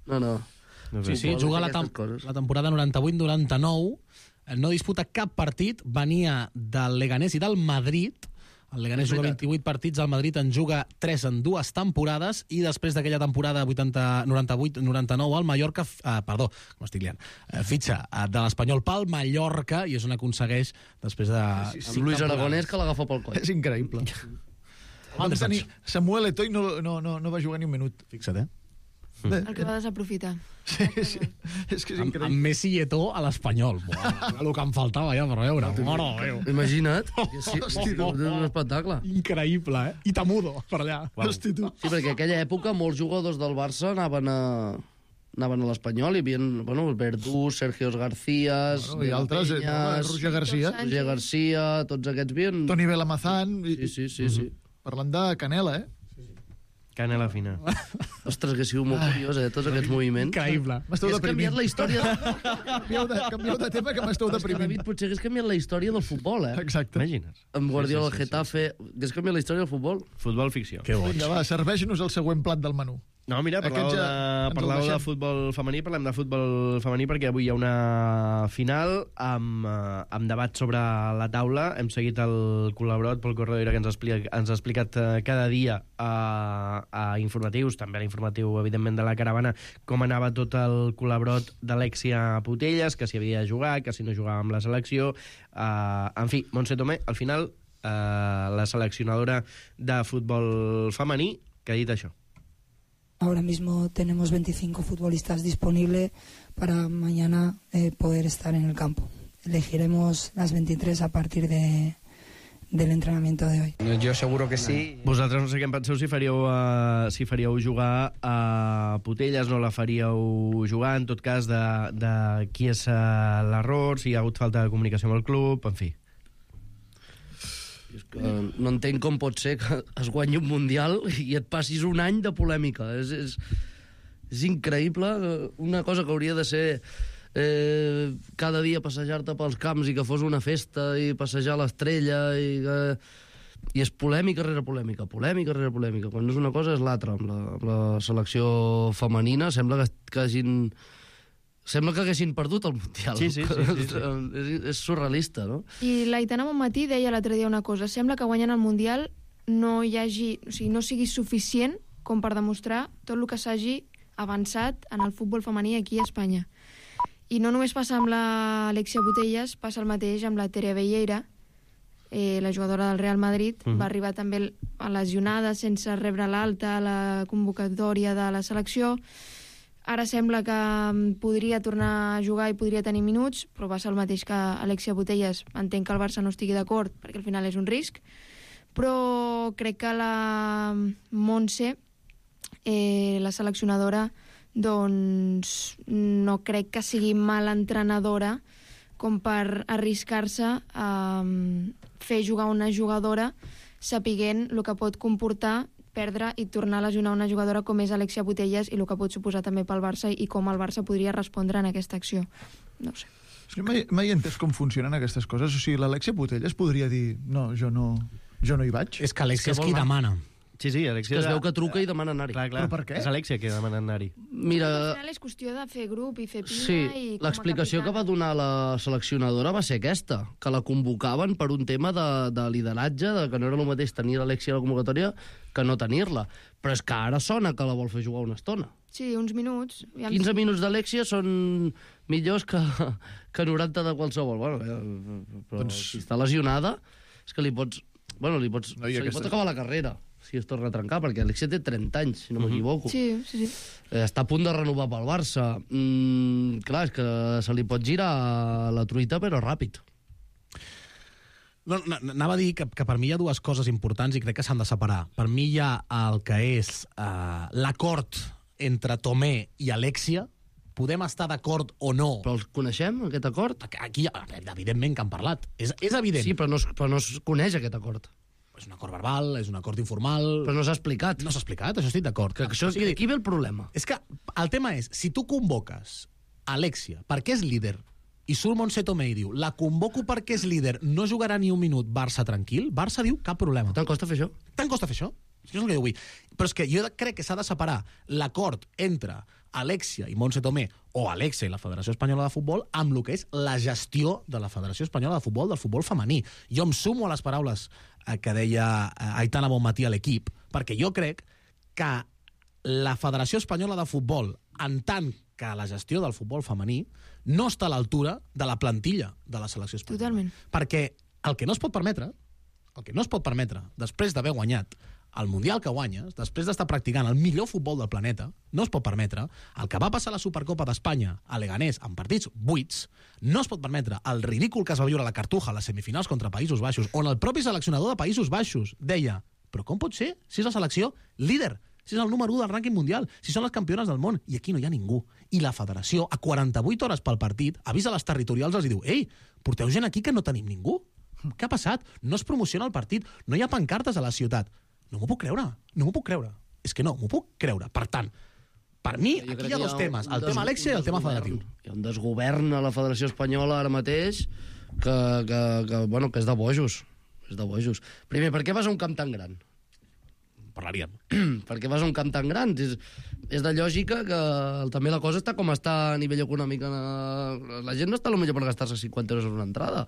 No, no. Sí, sí, juga la, tem la temporada noranta-vuit noranta-nou, no disputa cap partit, venia del Leganés i del Madrid. El Leganés juga vint-i-vuit partits, el Madrid en juga tres en dues temporades i després d'aquella temporada noranta-vuit noranta-nou el Mallorca, eh, perdó, com estic liant, eh, fitxa eh, de l'Espanyol pel Mallorca i és on aconsegueix després de... Sí, sí, Luis Aragonès que l'agafa pel coll. És increïble. Vam tenir Samuel Eto'o i no, no, no, no va jugar ni un minut. Fixa't, eh? El que va desaprofitar. Sí, sí. És que és increïble. Amb, amb Messi i Eto'o a l'Espanyol. El que em faltava ja per veure. Mare Déu. Imagina't. Sí, Hosti, és un espectacle. Increïble, eh? I Tamudo, per allà. Hosti, tu. Sí, perquè en aquella època molts jugadors del Barça anaven a anaven a l'Espanyol i hi havia, bueno, Verdú, Sergio Garcías, bueno, i altres, Penyas, Roger Garcia. Roger Garcia, tots aquests havien... Toni Belamazán. Sí, sí, sí, sí. Parlant de Canela, eh? Canela fina. Ostres, que ha sigut molt curiós, eh, tots aquests moviments. Increïble. M'esteu Has canviat la història... canvieu, de, canvieu de tema que m'esteu deprimint. David, potser hagués canviat la història del futbol, eh? Exacte. Imagines. Amb Guardiola, Sí, el sí, sí, Getafe... Hagués canviat la història del futbol? Futbol ficció. Que boig. Vinga, va, serveix-nos el següent plat del menú. No, mira, parlàveu, Aquest ja de, ens el parlàveu de deixem. futbol femení, parlem de futbol femení perquè avui hi ha una final amb, eh, amb debat sobre la taula. Hem seguit el col·laborat Pol Corredera, que ens ha explicat, ens ha explicat eh, cada dia a, a informatius, també a l'informatiu, evidentment, de la caravana, com anava tot el col·laborat d'Alexia Putelles, que si havia de jugar, que si no jugava amb la selecció. Eh, en fi, Montse Tomé, al final, eh, la seleccionadora de futbol femení, que ha dit això. Ahora mismo tenemos veinticinco futbolistas disponibles para mañana eh, poder estar en el campo. Elegiremos las veintitrés a partir de, del entrenamiento de hoy. Yo seguro que sí. Vosaltres no sé què en penseu, si faríeu, uh, si faríeu jugar a Putelles, no la faríeu jugar, en tot cas, de, de qui és uh, l'error, si hi ha hagut falta de comunicació amb el club, en fi. És que no entenc com pot ser que es guanyi un Mundial i et passis un any de polèmica. És, és, és increïble, una cosa que hauria de ser eh, cada dia passejar-te pels camps i que fos una festa i passejar l'estrella i que... I és polèmica rere polèmica, polèmica rere polèmica. Quan no és una cosa és l'altra. Amb la, amb la selecció femenina sembla que, que hagin... Sembla que haguessin perdut el Mundial. Sí, sí, sí, sí, sí. És, és surrealista, no? I l'Aitana Bonmatí deia l'altre dia una cosa. Sembla que guanyant el Mundial no hi hagi, o sigui, no sigui suficient com per demostrar tot el que s'hagi avançat en el futbol femení aquí a Espanya. I no només passa amb l'Alexia Putellas, passa el mateix amb la Tere Velleira, eh, la jugadora del Real Madrid, mm. va arribar també lesionada sense rebre l'alta a la convocatòria de la selecció. Ara sembla que podria tornar a jugar i podria tenir minuts, però va ser el mateix que Alexia Putellas. Entenc que el Barça no estigui d'acord, perquè al final és un risc, però crec que la Montse, eh, la seleccionadora, doncs no crec que sigui mala entrenadora com per arriscar-se a fer jugar una jugadora sapiguent el que pot comportar perdre i tornar a lesionar una jugadora com és Alexia Putellas i el que pot suposar també pel Barça i com el Barça podria respondre en aquesta acció. No ho sé. Sí, mai, mai he entès com funcionen aquestes coses. O sigui, l'Alexia Putellas podria dir no, jo no, jo no hi vaig. És que Alexia és qui demana. Sí, sí, Alexia... Que es veu que truca i demana anar-hi. Clar, clar. Però per què? És Alexia que demana anar-hi. Mira... Al final és qüestió de fer grup i fer pinya sí, i... l'explicació que va donar la seleccionadora va ser aquesta, que la convocaven per un tema de, de lideratge, de que no era el mateix tenir l'Alexia a la convocatòria que no tenir-la. Però és que ara sona que la vol fer jugar una estona. Sí, uns minuts. Ja quinze minuts d'Alexia són millors que, que noranta de qualsevol. Bueno, però doncs... si està lesionada, és que li pots... Bueno, li pots... No, se li aquesta... pot acabar la carrera si es torna a trencar, perquè Alexia té trenta anys, si no m'equivoco. Sí, sí, sí. Eh, està a punt de renovar pel Barça. Mm, clar, és que se li pot girar la truita, però ràpid. No, anava a dir que, que per mi hi ha dues coses importants i crec que s'han de separar. Per mi hi ha el que és uh, l'acord entre Tomé i Alexia. Podem estar d'acord o no. Però els coneixem, aquest acord? Aquí, evidentment, que han parlat. És, és evident. Sí, però no, es, però no es coneix aquest acord. És un acord verbal, és un acord informal... Però no s'ha explicat. No s'ha explicat, això estic d'acord. Que això, sigui, aquí ve el problema. És que el tema és, si tu convoques Alexia perquè és líder i surt Montse Tomé i diu la convoco perquè és líder, no jugarà ni un minut, Barça tranquil, Barça diu cap problema. Tant costa fer això? Tant costa fer això? És que és el que jo vull. Però és que jo crec que s'ha de separar l'acord entre Alexia i Montse Tomé o Alexia i la Federació Espanyola de Futbol amb el que és la gestió de la Federació Espanyola de Futbol, del futbol femení. Jo em sumo a les paraules eh, que deia eh, Aitana Bonmatí a l'equip, perquè jo crec que la Federació Espanyola de Futbol, en tant que la gestió del futbol femení, no està a l'altura de la plantilla de la selecció espanyola. Totalment. Perquè el que no es pot permetre, el que no es pot permetre, després d'haver guanyat el Mundial que guanyes, després d'estar practicant el millor futbol del planeta, no es pot permetre el que va passar a la Supercopa d'Espanya a Leganés en partits buits, no es pot permetre el ridícul que es va viure a la Cartuja a les semifinals contra Països Baixos, on el propi seleccionador de Països Baixos deia però com pot ser si és la selecció líder, si és el número u del rànquing mundial, si són les campiones del món, i aquí no hi ha ningú. I la federació, a quaranta-vuit hores pel partit, avisa les territorials, els diu ei, porteu gent aquí que no tenim ningú. Què ha passat? No es promociona el partit, no hi ha pancartes a la ciutat. No m'ho puc creure, no m'ho puc creure. És que no, m'ho puc creure. Per tant, per mi, jo aquí hi ha dos temes, el tema Alexia i el tema federatiu. Hi ha un desgovern a la Federació Espanyola ara mateix que, que, que, bueno, que és de bojos. És de bojos. Primer, per què vas a un camp tan gran? Parlaríem. Per què vas a un camp tan gran? És, és de lògica que també la cosa està com està a nivell econòmic. La, la gent no està potser per gastar-se cinquanta euros en una entrada.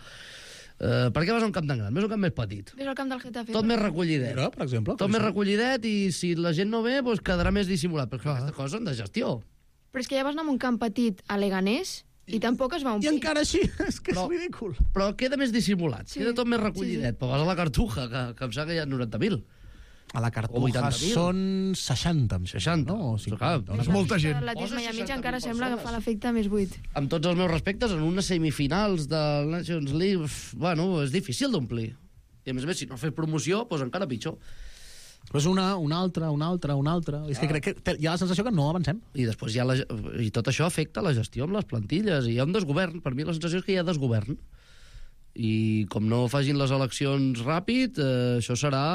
Uh, per què vas a un camp tan gran? Ves a un camp més petit. Ves al camp del Getafe. Tot més recollidet. Però, per exemple, Tot més recollidet i si la gent no ve, doncs quedarà més dissimulat. Però ah. aquestes coses són de gestió. Però és que ja vas anar a un camp petit a Leganés i tampoc es va omplir. I encara així, és que però, és ridícul. Però queda més dissimulat, sí. Queda tot més recollidet. Sí, sí. Però vas a la Cartuja, que, que em sap que hi ha noranta mil. A la Cartuja són seixanta, em seixanta. No, cinquanta. És molta gent. L'Atlètic Miami encara sembla que fa l'efecte més buit. Amb tots els meus respectes, en unes semifinals de Nations League, bueno, és difícil d'omplir. I a més a més, si no fes promoció, doncs encara pitjor. Pues una, una altra, una altra, una altra. Ah. És que crec que hi ha la sensació que no avancem. I després hi ha la, i tot això afecta la gestió amb les plantilles. I hi ha un desgovern. Per mi la sensació és que hi ha desgovern. I com no facin les eleccions ràpid, eh, això serà...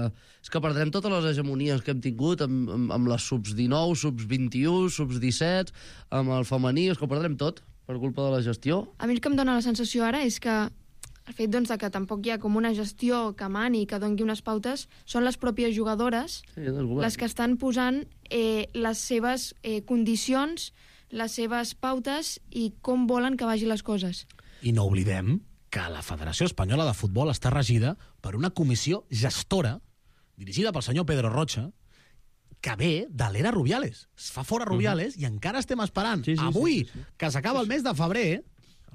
Eh, és que perdrem totes les hegemonies que hem tingut amb, amb, amb les subs dinou, subs vint-i-u, subs disset, amb el femení, és que ho perdrem tot per culpa de la gestió. A mi el que em dóna la sensació ara és que el fet doncs, que tampoc hi ha com una gestió que mani, que doni unes pautes, són les pròpies jugadores sí, les que estan posant eh, les seves eh, condicions, les seves pautes i com volen que vagin les coses. I no oblidem que la Federació Espanyola de Futbol està regida per una comissió gestora dirigida pel senyor Pedro Rocha, que ve de l'era Rubiales. Es fa fora Rubiales uh-huh. i encara estem esperant. Sí, sí, avui, sí, sí, sí. que s'acaba el mes de febrer,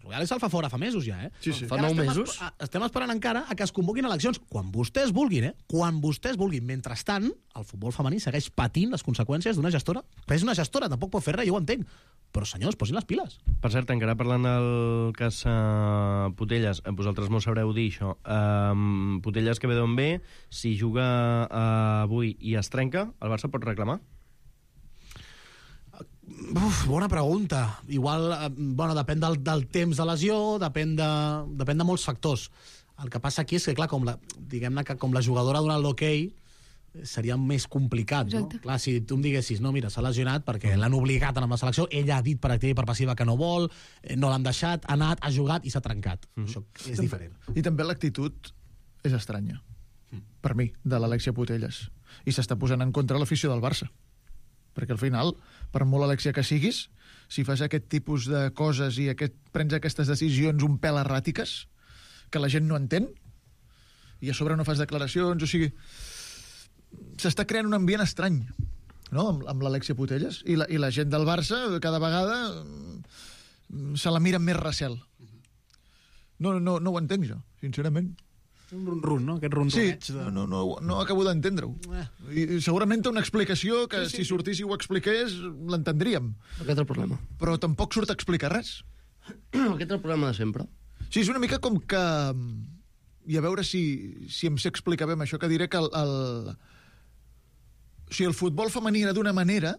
Rubiales se'l fa fora fa mesos ja, eh? Sí, sí. Fa nou mesos. Estem, estem esperant encara a que es convoquin eleccions. Quan vostès vulguin, eh? Quan vostès vulguin. Mentrestant, el futbol femení segueix patint les conseqüències d'una gestora. Que és una gestora, tampoc pot fer res, jo ho entenc. Però, senyors, posin les piles. Per cert, encara parlant del cas uh, Putellas, vosaltres m'ho sabreu dir, això. Uh, Putellas que ve d'on ve, si juga uh, avui i es trenca, el Barça pot reclamar? Uf, bona pregunta. Igual, eh, bueno, depèn del, del temps de lesió, depèn de, depèn de molts factors. El que passa aquí és que, clar, com la, diguem-ne que com la jugadora ha donat l'hoquei, seria més complicat, Exacte. no? Clar, si tu em diguessis, no, mira, s'ha lesionat perquè l'han obligat a anar amb la selecció, ella ha dit per activa i per passiva que no vol, no l'han deixat, ha anat, ha jugat i s'ha trencat. Mm. Això és diferent. I també l'actitud és estranya, mm. per mi, de l'Alexia Putellas. I s'està posant en contra l'afició del Barça. Perquè al final, per molt Alexia que siguis, si fas aquest tipus de coses i aquest, prens aquestes decisions un pèl erràtiques, que la gent no entén, i a sobre no fas declaracions, o sigui, s'està creant un ambient estrany, no?, amb, amb l'Alexia Putellas, i la, i la gent del Barça cada vegada se la mira amb més recel. No, no, no ho entenc jo, sincerament. Un run-run, no? Aquest run-runeig. Sí, de... no, no, no acabo d'entendre-ho. Eh. I segurament té una explicació que sí, sí, si sortís i ho expliqués l'entendríem. Aquest és el problema. Però tampoc surt a explicar res. Aquest és el problema de sempre. Sí, és una mica com que... I a veure si, si em sé explicar bé amb això, que diré que el, el... O sigui, el futbol femení era d'una manera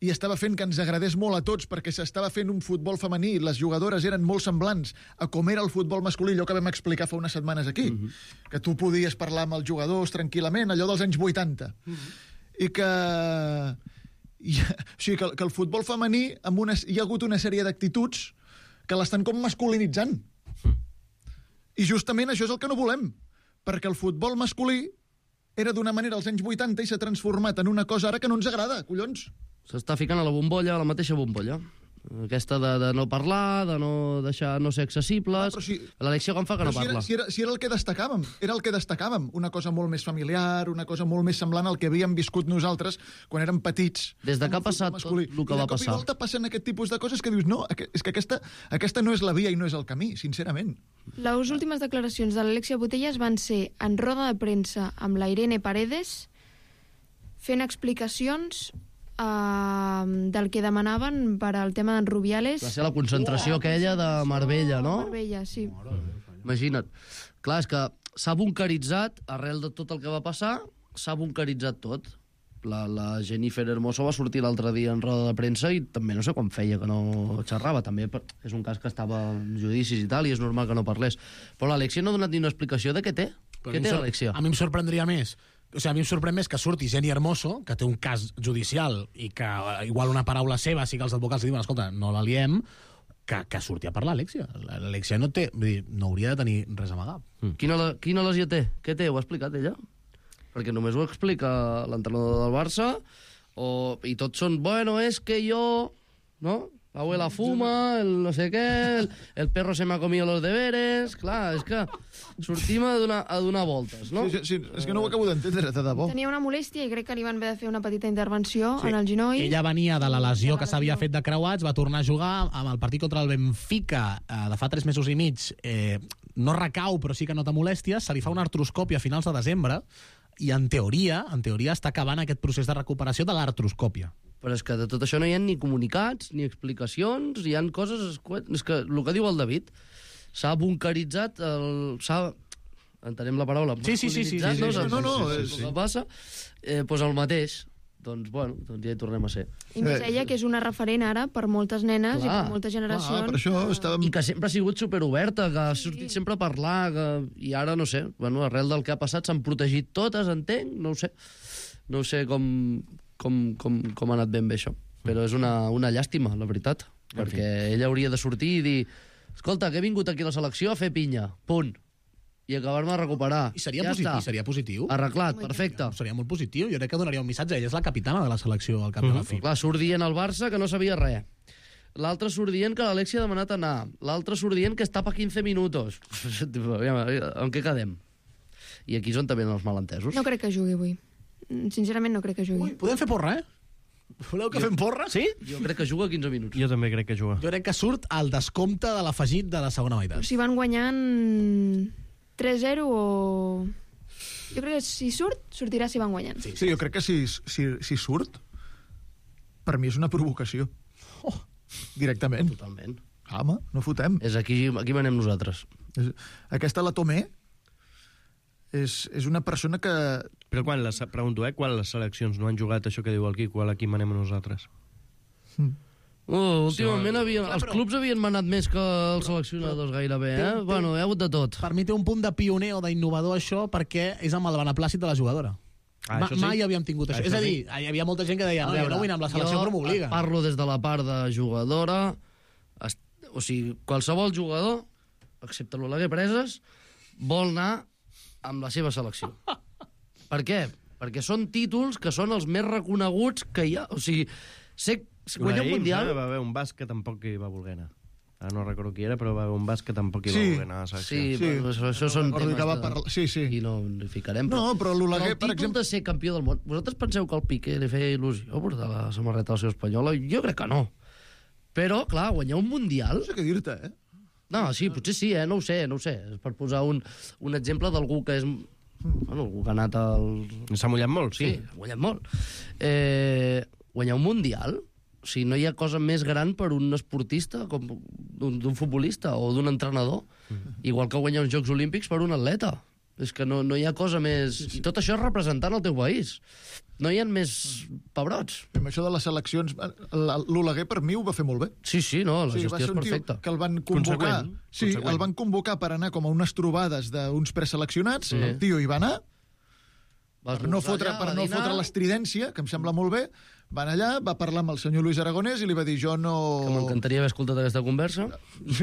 i estava fent que ens agradés molt a tots perquè s'estava fent un futbol femení, les jugadores eren molt semblants a com era el futbol masculí, allò que vam explicar fa unes setmanes aquí, uh -huh. que tu podies parlar amb els jugadors tranquil·lament, allò dels anys vuitanta. Uh -huh. I que... I, o sigui, que, que el futbol femení amb una, hi ha hagut una sèrie d'actituds que l'estan com masculinitzant. Uh -huh. I justament això és el que no volem, perquè el futbol masculí era d'una manera als anys vuitanta i s'ha transformat en una cosa ara que no ens agrada, collons. S'està ficant a la bombolla, a la mateixa bombolla. Aquesta de, de no parlar, de no deixar no ser accessibles... Ah, si, L'Alexia com fa que no si parla? Era, si, era, si era el que destacàvem, era el que destacàvem. Una cosa molt més familiar, una cosa molt més semblant al que havíem viscut nosaltres quan érem petits. Des de que ha passat tot el que va passar. I de cop i volta passen aquest tipus de coses que dius, no, és que aquesta, aquesta no és la via i no és el camí, sincerament. Les últimes declaracions de l'Alexia Putellas van ser en roda de premsa amb la Irene Paredes fent explicacions Uh, del que demanaven per al tema d'en Rubiales. Va ser la concentració oh, aquella de Marbella, no? Marbella, sí. Imagina't. Clar, és que s'ha bunkeritzat, arrel de tot el que va passar, s'ha bunkeritzat tot. La, la Jennifer Hermoso va sortir l'altre dia en roda de premsa i també no sé com feia que no xerrava. També és un cas que estava en judicis i tal, i és normal que no parlés. Però l'Alexia no ha donat ni una explicació de què té. Però què té l'Alexia? A mi em sorprendria més. O sigui, a mi em sorprèn més que surti Jenny Hermoso, que té un cas judicial i que igual una paraula seva sí que els advocats li diuen, escolta, no la liem, que, que surti a parlar l'Alexia. L'Alexia no té, vull dir, no hauria de tenir res a amagar. Mm. Quina, quina lesió té? Què té? Ho ha explicat ella? Perquè només ho explica l'entrenador del Barça, o, i tots són, bueno, és que jo... No? La abuela fuma, el no sé què, el, el perro se m'ha comido los deberes... Clar, és que sortim a donar, a donar voltes, no? Sí, sí, sí, és que no ho acabo d'entendre, de debò. Tenia una molèstia i crec que li van haver de fer una petita intervenció sí. en el genoll. Ella venia de la lesió que s'havia fet de creuats, va tornar a jugar amb el partit contra el Benfica eh, de fa tres mesos i mig. Eh, no recau, però sí que nota molèsties. Se li fa una artroscòpia a finals de desembre i, en teoria, en teoria està acabant aquest procés de recuperació de l'artroscòpia. Però és que de tot això no hi ha ni comunicats, ni explicacions, hi ha coses... És que el que diu el David, s'ha bunkeritzat, s'ha... Entenem la paraula? Sí, sí, sí. sí, sí, sí, no, sí, no, no, sí, el sí. que passa, eh, doncs el mateix. Doncs, bueno, doncs ja hi tornem a ser. I més ella, que és una referent ara per moltes nenes clar, i per moltes generacions. Clar, per això estàvem... I que sempre ha sigut superoberta, que ha sortit sí. sempre a parlar, que... i ara, no sé, bueno, arrel del que ha passat s'han protegit totes, entenc, no ho sé. No sé com, com, com, com ha anat ben bé això. Però és una, una llàstima, la veritat. Perquè ella hauria de sortir i dir escolta, que he vingut aquí a la selecció a fer pinya, punt. I acabar-me de recuperar. I seria, ja positiu, seria positiu. Arreglat, perfecte. Seria molt positiu. Jo crec que donaria un missatge. Ella és la capitana de la selecció al cap de la fi. Clar, surt dient al Barça que no sabia res. L'altre surt dient que l'Alexia ha demanat anar. L'altre surt dient que està per quinze minuts. En què quedem? I aquí és on també els malentesos. No crec que jugui avui. Sincerament no crec que jugui. Ui, podem fer porra, eh? Voleu que jo... fem porra? Sí? Jo crec que juga quinze minuts. Jo també crec que juga. Jo crec que surt el descompte de l'afegit de la segona meitat. Si van guanyant tres zero o... Jo crec que si surt, sortirà si van guanyant. Sí, sí jo crec que si, si, si surt, per mi és una provocació. Oh, directament. Totalment. Home, no fotem. És aquí, aquí manem nosaltres. És, aquesta la Tomé és, és una persona que... Però quan les, pregunto, eh, quan les seleccions no han jugat això que diu el Quico, a l'equip manem a nosaltres? Mm. Oh, últimament havien, els clubs havien manat més que els seleccionadors gairebé, eh? Té, Bueno, hi ha hagut de tot. Per mi té un punt de pioner o d'innovador això perquè és amb el beneplàcit de la jugadora. Ah, Ma, això sí? Mai havíem tingut això. Això és a dir, sí? hi havia molta gent que deia no, jo no vull anar amb la selecció, jo però m'obliga. parlo des de la part de jugadora, est... o sigui, qualsevol jugador, excepte l'Oleguer Preses, vol anar amb la seva selecció. Per què? Perquè són títols que són els més reconeguts que hi ha. O sigui, ser, guanyar un mundial... Va haver un basc que tampoc hi va voler anar. Ara no recordo qui era, però va haver un basc que tampoc hi Sí. va voler anar a la selecció. Sí, Sí. però això, això són Recordo temes que va de... parlar- sí, sí. I no hi ficarem. No, però l'Oleguer, el per títol exemple- de ser campió del món... Vosaltres penseu que al Piqué li feia il·lusió portar la samarreta del seu espanyola? Jo crec que no. Però, clar, guanyar un mundial... No sé què dir-te, eh? No, sí, potser sí, eh? No ho sé, no ho sé. És per posar un, un exemple d'algú que és... Bueno, algú que ha anat al... S'ha mullat molt, sí. Sí, ha mullat molt. Eh, guanyar un mundial, o sigui, no hi ha cosa més gran per un esportista, com d'un d'un futbolista o d'un entrenador, igual que guanyar uns Jocs Olímpics per un atleta. És que no, no hi ha cosa més... Sí, sí. I tot això és representant el teu país. No hi ha més pebrots. Amb això de les seleccions, l'Oleguer per mi ho va fer molt bé. Sí, sí, no, la Sí, va gestió ser és un tio perfecta. que el van convocar. Conseqüent, Sí, conseqüent. el van convocar per anar com a unes trobades d'uns preseleccionats. Sí. El tio hi va anar, Vas per no esmorzar fotre, allà, per va no dinar. fotre l'estridència, que em sembla molt bé. Van allà, va parlar amb el senyor Luis Aragonès i li va dir, jo no... Que m'encantaria haver escoltat aquesta conversa.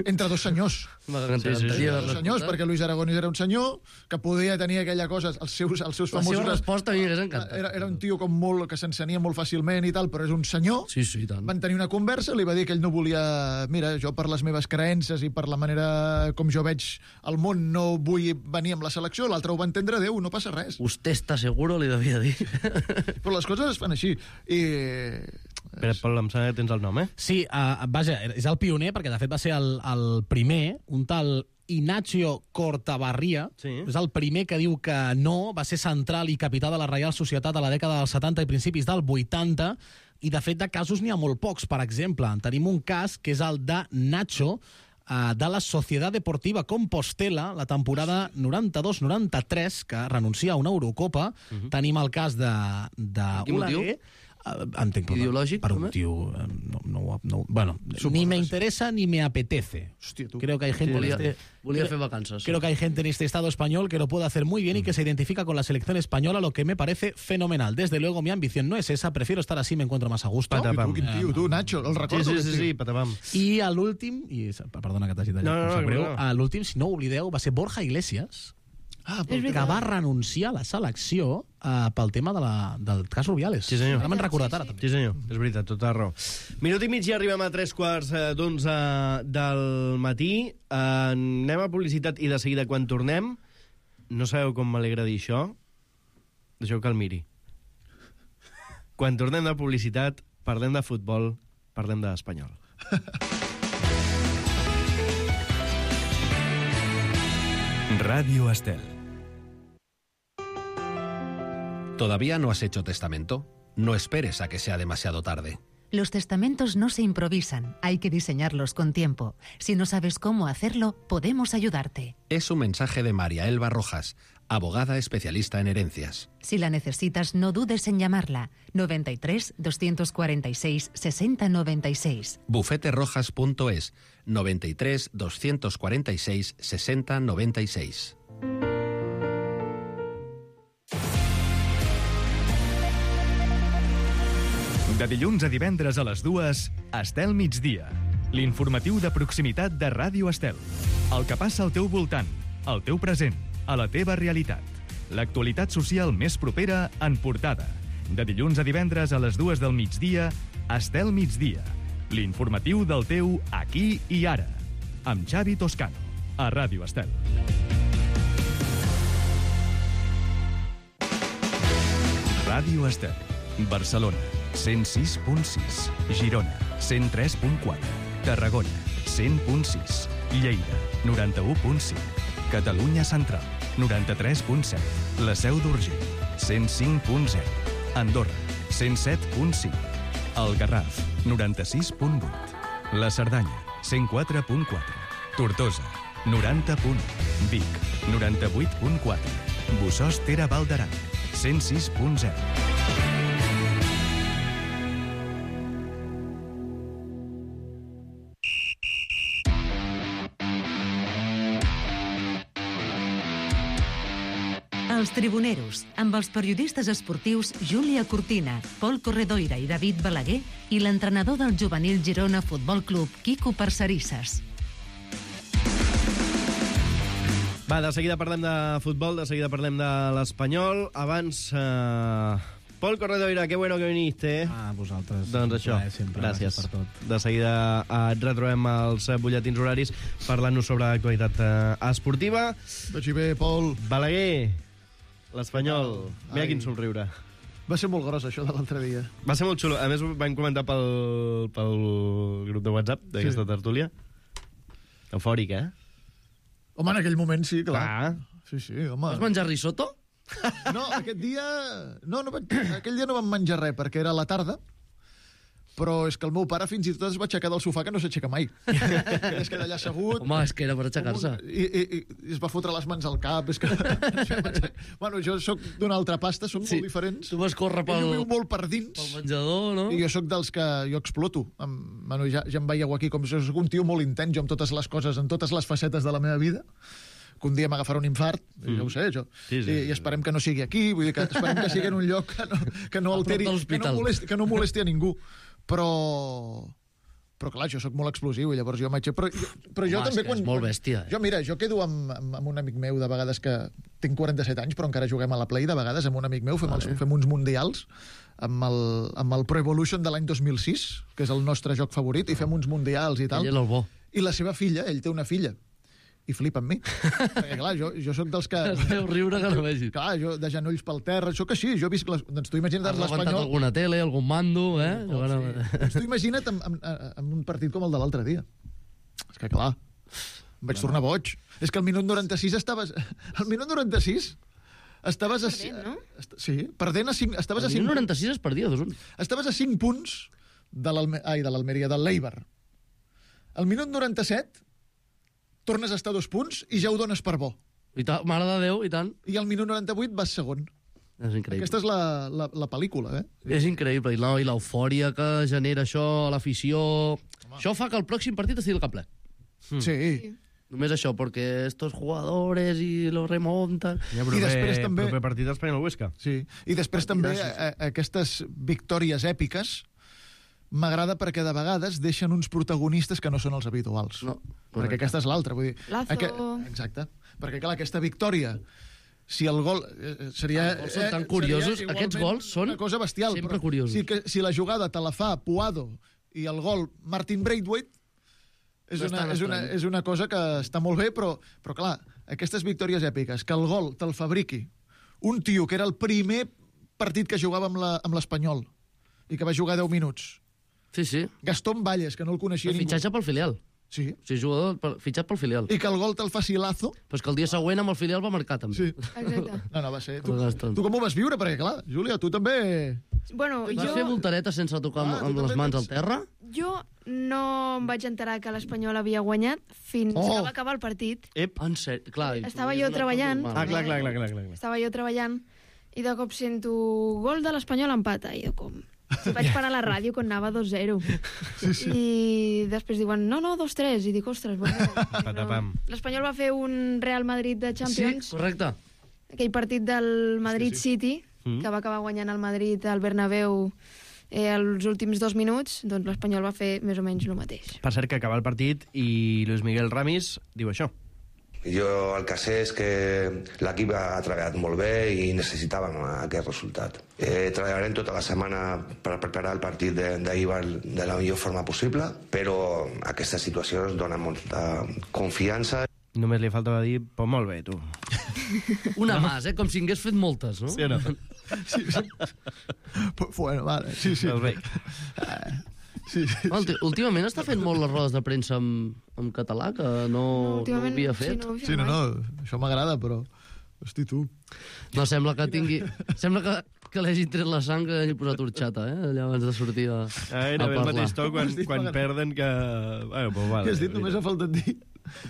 Entre dos senyors. M'encantaria Sí, sí, sí. haver-la Dos senyors, escoltat. perquè Luis Aragonès era un senyor que podia tenir aquella cosa, els seus, els seus La seva famosos... resposta a mi m'hagués encantat. Era, era un tio com molt, que s'encenia molt fàcilment i tal, però és un senyor. Sí, sí, i tant. Van tenir una conversa, li va dir que ell no volia... Mira, jo per les meves creences i per la manera com jo veig el món no vull venir amb la selecció, l'altre ho va entendre, Déu, no passa res. Usted està seguro, li devia dir. Però les coses es fan així. I... Espera, Pol, em sembla que tens el nom, eh? Sí, uh, vaja, és el pioner, perquè de fet va ser el, el primer, un tal Ignacio Cortabarria, Sí. és el primer que diu que no, va ser central i capità de la Reial Societat a la dècada dels setanta i principis del vuitanta, i de fet de casos n'hi ha molt pocs. Per exemple, tenim un cas que és el de Nacho, uh, de la Societat Deportiva Compostela, la temporada noranta-dos noranta-tres, que renuncia a una Eurocopa. Uh -huh. Tenim el cas de, de Quin motiu? Oleguer. Uh, entenc, per, Ideològic, per un també? motiu... uh, No, no, no, bueno, ni me interesa ni me apetece. Hòstia, tu. Creo que hay gente Volia, en este... volia creo- fer vacances. Creo que hay gente en este Estado español que lo puede hacer muy bien y que se identifica con la selección española, lo que me parece fenomenal. Desde luego, mi ambición no es esa, prefiero estar así, me encuentro más a gusto. I Patapam. tu, quin tio, tu, Nacho, el Sí, recordo. sí, aquest sí, tio. sí, patapam. I a l'últim, i perdona que t'hagi tallat, No, no, em no, sap greu, no. a l'últim, si no ho oblideu, va ser Borja Iglesias, Ah, És però... que veritat. va renunciar a la selecció uh, pel tema de la, del cas Rubiales. Sí, senyor. Ara m'han recordat ara, també. Sí, senyor, és veritat, tota la raó. Minut i mig i arribem a tres quarts eh, d'onze del matí. Eh, anem a publicitat i de seguida, quan tornem, no sabeu com m'alegra dir això? Deixeu que el miri. Quan tornem de publicitat, parlem de futbol, parlem d'espanyol. Radio Estel. ¿Todavía no has hecho testamento? No esperes a que sea demasiado tarde. Los testamentos no se improvisan, hay que diseñarlos con tiempo. Si no sabes cómo hacerlo, podemos ayudarte. Es un mensaje de María Elba Rojas, abogada especialista en herencias. Si la necesitas, no dudes en llamarla. noventa y tres, doscientos cuarenta y seis, sesenta noventa y seis. bufeterojas punto es, noventa y tres, doscientos cuarenta y seis, sesenta noventa y seis. De dilluns a divendres a les dues, Estel migdia. L'informatiu de proximitat de Ràdio Estel. El que passa al teu voltant, al teu present, a la teva realitat. L'actualitat social més propera en portada. De dilluns a divendres a les dues del migdia, Estel migdia. L'informatiu del teu aquí i ara. Amb Xavi Toscano, a Ràdio Estel. Ràdio Estel. Barcelona, cent sis punt sis. Girona, cent tres punt quatre. Tarragona, cent punt sis. Lleida, noranta-u punt cinc. Catalunya Central, noranta-tres punt set. La Seu d'Urgell, cent cinc punt zero. Andorra, cent set punt cinc. El Garraf, noranta-sis punt vuit. La Cerdanya, cent quatre punt quatre. Tortosa, noranta punt u. Vic, noranta-vuit punt quatre. Bossòst Ter Val d'Aran, cent sis punt zero. Els Tribuneros, amb els periodistes esportius Júlia Cortina, Pol Corredoira i David Balaguer i l'entrenador del juvenil Girona Futbol Club, Quico Parcerisses. Va, de seguida parlem de futbol, de seguida parlem de l'Espanyol. Abans, eh... Pol Corredoira, que bueno que viniste. Ah, vosaltres. Doncs això, Eh, sempre, gràcies. gràcies per tot. De seguida eh, et retrobem als eh, butlletins horaris parlant-nos sobre l'actualitat eh, esportiva. Vagi bé, Pol. Balaguer, l'Espanyol. Mira Ai. quin somriure. Va ser molt gros, això, de l'altre dia. Va ser molt xulo. A més, ho vam comentar pel, pel grup de WhatsApp d'aquesta Sí. tertúlia. Eufòric, eh? Home, en aquell moment sí, clar. Clar. Sí, sí, home. Vas menjar risotto? No, aquest dia... No, no vaig... aquell dia no vam menjar res, perquè era a la tarda, però és que el meu pare fins i tot es va aixecar del sofà, que no s'aixeca mai. Es queda allà assegut... Home, és que era per aixecar-se. I, i, i, I es va fotre les mans al cap. És que... bueno, jo sóc d'una altra pasta, som Sí, molt diferents. tu vas córrer pel- Ell ho viu molt per dins. Pel menjador, no? I jo sóc dels que jo exploto. Em, bueno, ja, ja em veieu aquí com jo soc un tio molt intens, jo amb totes les coses, en totes les facetes de la meva vida, que un dia m'agafarà un infart, mm. ja ho sé, jo. Sí, sí. I, I esperem que no sigui aquí, vull dir que esperem que sigui en un lloc que no, que no A prop alteri, de que l'hospital. no, molesti, que no molesti a ningú. Però... Però clar, jo sóc molt explosiu i llavors jo m'aixeco... Però, jo- però jo Home, també és que quan... és molt quan- bèstia, eh? Jo, mira, jo quedo amb, amb, amb un amic meu de vegades que... Tinc quaranta-set anys, però encara juguem a la Play de vegades amb un amic meu, fem, els, fem uns mundials amb el, amb el Pro Evolution de l'any dos mil sis, que és el nostre joc favorit, i fem uns mundials i tal. Ell és el bo. I la seva filla, ell té una filla, i flipa amb mi. Perquè, clar, jo, jo sóc dels que... Es veu riure que no vegis. Clar, jo de genolls pel terra, sóc així, jo visc... Les... Doncs tu imagina't Has levantat l'Espanyol... alguna tele, algun mando, eh? Oh, sí. Doncs tu imagina't amb, amb, amb un partit com el de l'altre dia. És que, clar, em vaig tornar boig. És que al minut noranta-sis estaves... Al minut noranta-sis estaves a... Perdent, no? Est- Sí, perdent a cinc... Estaves a El cinc... noranta-sis es perdia, dos un. Estaves a cinc punts de l'Alme... Ai, de l'Almeria, del l'Eibar. Al minut noranta-set tornes a estar a dos punts i ja ho dones per bo. I ta, mare de Déu, i tant. I al minut noranta-vuit vas segon. És increïble. Aquesta és la, la, la pel·lícula, eh? És increïble. I no, i l'eufòria que genera això, l'afició... Això fa que el pròxim partit estigui al cap ple. Mm. Sí. Només això, perquè estos jugadores i lo remonten... Ja, I després també... Proper partit Espanyol-Huesca. Sí, i després també a, a, aquestes victòries èpiques m'agrada perquè de vegades deixen uns protagonistes que no són els habituals. No, perquè aquesta és l'altra. Vull dir, Lazo. Aqu... Exacte. Perquè, clar, aquesta victòria, si el gol... Eh, seria, Els gols són tan curiosos. seria Aquests igualment gols són una cosa bestial, sempre però curiosos. Si, que, si la jugada te la fa Puado i el gol Martin Braithwaite, és No és una, tan és, una, estrany. és una cosa que està molt bé, però, però clar, aquestes victòries èpiques, que el gol te'l fabriqui un tio que era el primer partit que jugava amb la- amb l'Espanyol i que va jugar deu minuts. Sí, sí. Gastón Valles, que no el coneixia El ningú. fitxatge pel filial. Sí. O sigui, jugador pel- fitxat pel filial. I que el gol te'l faci Lazo. Però és que el dia següent amb el filial va marcar, també. Sí. Exacte. No, no, va ser... Tu, El Gastón. tu com ho vas viure? Perquè, clar, Júlia, tu també... Bueno, Vas jo... fer voltareta sense tocar amb, Ah, tu amb les també mans tens- al terra? Jo no em vaig enterar que l'Espanyol havia guanyat fins Oh! que va acabar el partit. Ep. En sèrio? Clar, i tu Estava és jo una cosa treballant. normal. Ah, clar, clar, clar, clar, clar. clar. Estava jo treballant i de cop sento gol de l'Espanyol empata. I jo com... Vaig parar la ràdio quan anava dos zero. Sí, sí. I després diuen, no, no, dos tres. I dic, ostres, bueno... Patapam. L'Espanyol va fer un Real Madrid de Champions. Sí, correcte. Aquell partit del Madrid Sí, City, Mm. que va acabar guanyant el Madrid al Bernabéu eh, els últims dos minuts, doncs l'Espanyol va fer més o menys el mateix. Per cert, que acaba el partit i Luis Miguel Ramis diu això. Jo el que sé és que l'equip ha treballat molt bé i necessitàvem aquest resultat. Eh, treballarem tota la setmana per preparar el partit de- d'ahir de la millor forma possible, però aquesta situació ens dona molta confiança. Només li faltava dir, pues molt bé, tu. Una no. Más, eh? Com si hagués fet moltes, no? Sí o no? Sí, sí. Bueno, vale, sí, sí. Doncs bé. Sí, sí. Ulti- Últimament està fent molt les rodes de premsa en, en català, que no, no ho havia fet. Sí, no, sí, no, no, això m'agrada, però... Hosti, tu. No, sembla que tingui... Sembla que, que l'hagi tret la sang que hagi posat horxata, eh? Allà abans de sortir a, a, a parlar. El mateix to quan, quan perden que... Bueno, pues vale, què has dit? Només ha faltat dir...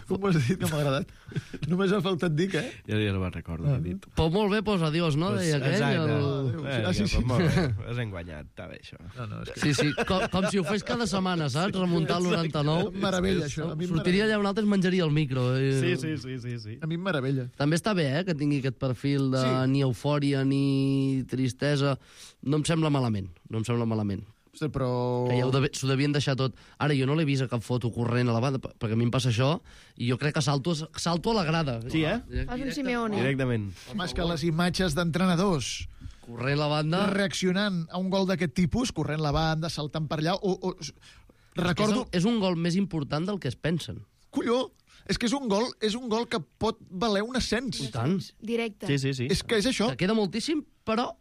Com ho has dit, que m'ha agradat? Només ha faltat dir què? Ja, ja no me'n recordo ah. què he dit. Pues molt bé, pues adiós, no? Pues, Deia aquell. Exacte. El... Eh, ah, sí, sí. Pues molt bé. Has enguanyat, està bé, això. No, no, és que... Sí, sí, com, com si ho fes cada setmana, saps? Remuntar el noranta-nou. Meravella, això. A mi Sortiria allà un altre, es menjaria el micro. I... Sí, sí, sí, sí, sí. A mi em meravella. També està bé, eh, que tingui aquest perfil de sí. Ni eufòria ni tristesa. No em sembla malament, no em sembla malament. Hosti, però... Que ja de, s'ho devien deixar tot. Ara, jo no l'he vist a cap foto corrent a la banda, perquè a mi em passa això, i jo crec que salto, salto a la grada. Sí, eh? Fas un Simeone. Directament. Home, és que les imatges d'entrenadors... Corrent la banda... Reaccionant a un gol d'aquest tipus, corrent la banda, saltant per allà... O, o... Recordo... És, és un gol més important del que es pensen. Colló! És que és un gol, és un gol que pot valer un ascens. I tant. Directe. Sí, sí, sí. És que és això. Que queda moltíssim, però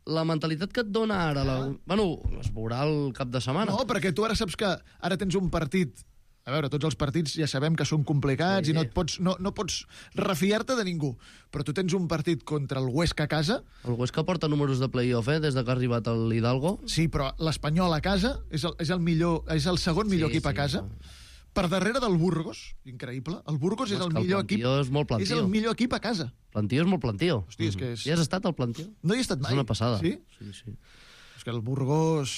la mentalitat que et dona ara... La... Bueno, es veurà el cap de setmana. No, perquè tu ara saps que ara tens un partit... A veure, tots els partits ja sabem que són complicats sí, i no, et pots, no, no pots refiar-te de ningú. Però tu tens un partit contra el Huesca a casa... El Huesca porta números de play-off, eh?, des de que ha arribat el Hidalgo. Sí, però l'Espanyol a casa és el, és el, millor, és el segon millor sí, equip sí, a casa. No. Per darrere del Burgos, increïble. El Burgos no, és el millor equip. És molt plantío. És el millor equip a casa. Plantío és molt plantío. Hosti, és que és... Ja has estat al plantío? No hi he estat mai. És una passada. Sí? Sí, sí. És que el Burgos...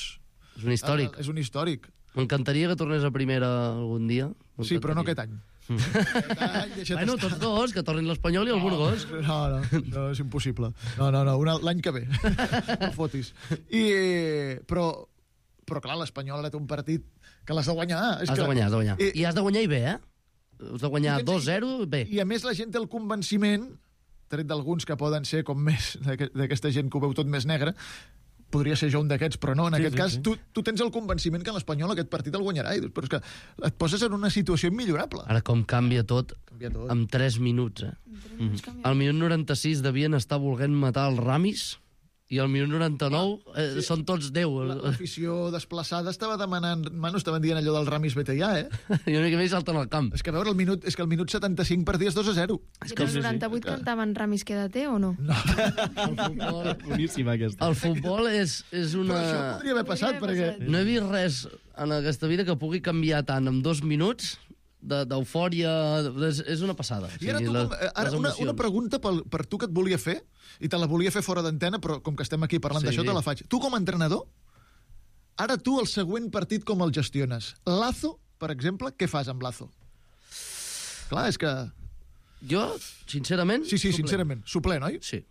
És un històric. És un històric. M'encantaria que tornés a primera algun dia. Sí, però no aquest any. Aquest any bueno, tots dos, que tornin l'Espanyol i el Burgos. No, no, no, és impossible. No, no, no, l'any que ve. No fotis. I, però, però clar, l'Espanyol ara té un partit que l'has de guanyar. És has que... de guanyar, has de guanyar. I, I has de guanyar i bé, eh? Has de guanyar dos zero, bé. I a més la gent té el convenciment, tret d'alguns que poden ser com més, d'aquesta gent que ho veu tot més negre, podria ser jo un d'aquests, però no, en sí, aquest sí, cas sí. Tu, tu tens el convenciment que l'Espanyol aquest partit el guanyarà, i dius, però és que et poses en una situació immillorable. Ara com canvia tot, canvia tot. En tres minuts, eh? Mm -hmm. Al minut noranta-sis devien estar volent matar el Ramis, i al minut noranta-nou eh, sí. Són tots deu. L'afició desplaçada estava demanant... Bueno, estaven dient allò del Ramis vete ja, eh? I una mica més salten al camp. És que a veure, el minut, és que el minut setanta-cinc parties dos a zero. És que el noranta-vuit sí, sí. Cantaven Ramis quédate o no? No. El futbol... Boníssima, aquesta. El futbol és, és una... Però això podria haver passat, podria haver perquè... passat. No he vist res en aquesta vida que pugui canviar tant en dos minuts d'eufòria, és, és una passada. I ara, tu, la, ara una, una pregunta per, per tu que et volia fer, i te la volia fer fora d'antena, però com que estem aquí parlant sí. d'això, te la faig. Tu com a entrenador, ara tu el següent partit com el gestiones? Lazo, per exemple, què fas amb Lazo? Clar, és que... Jo, sincerament... Sí, sí, suplent. sincerament. Suplent, oi? Sí.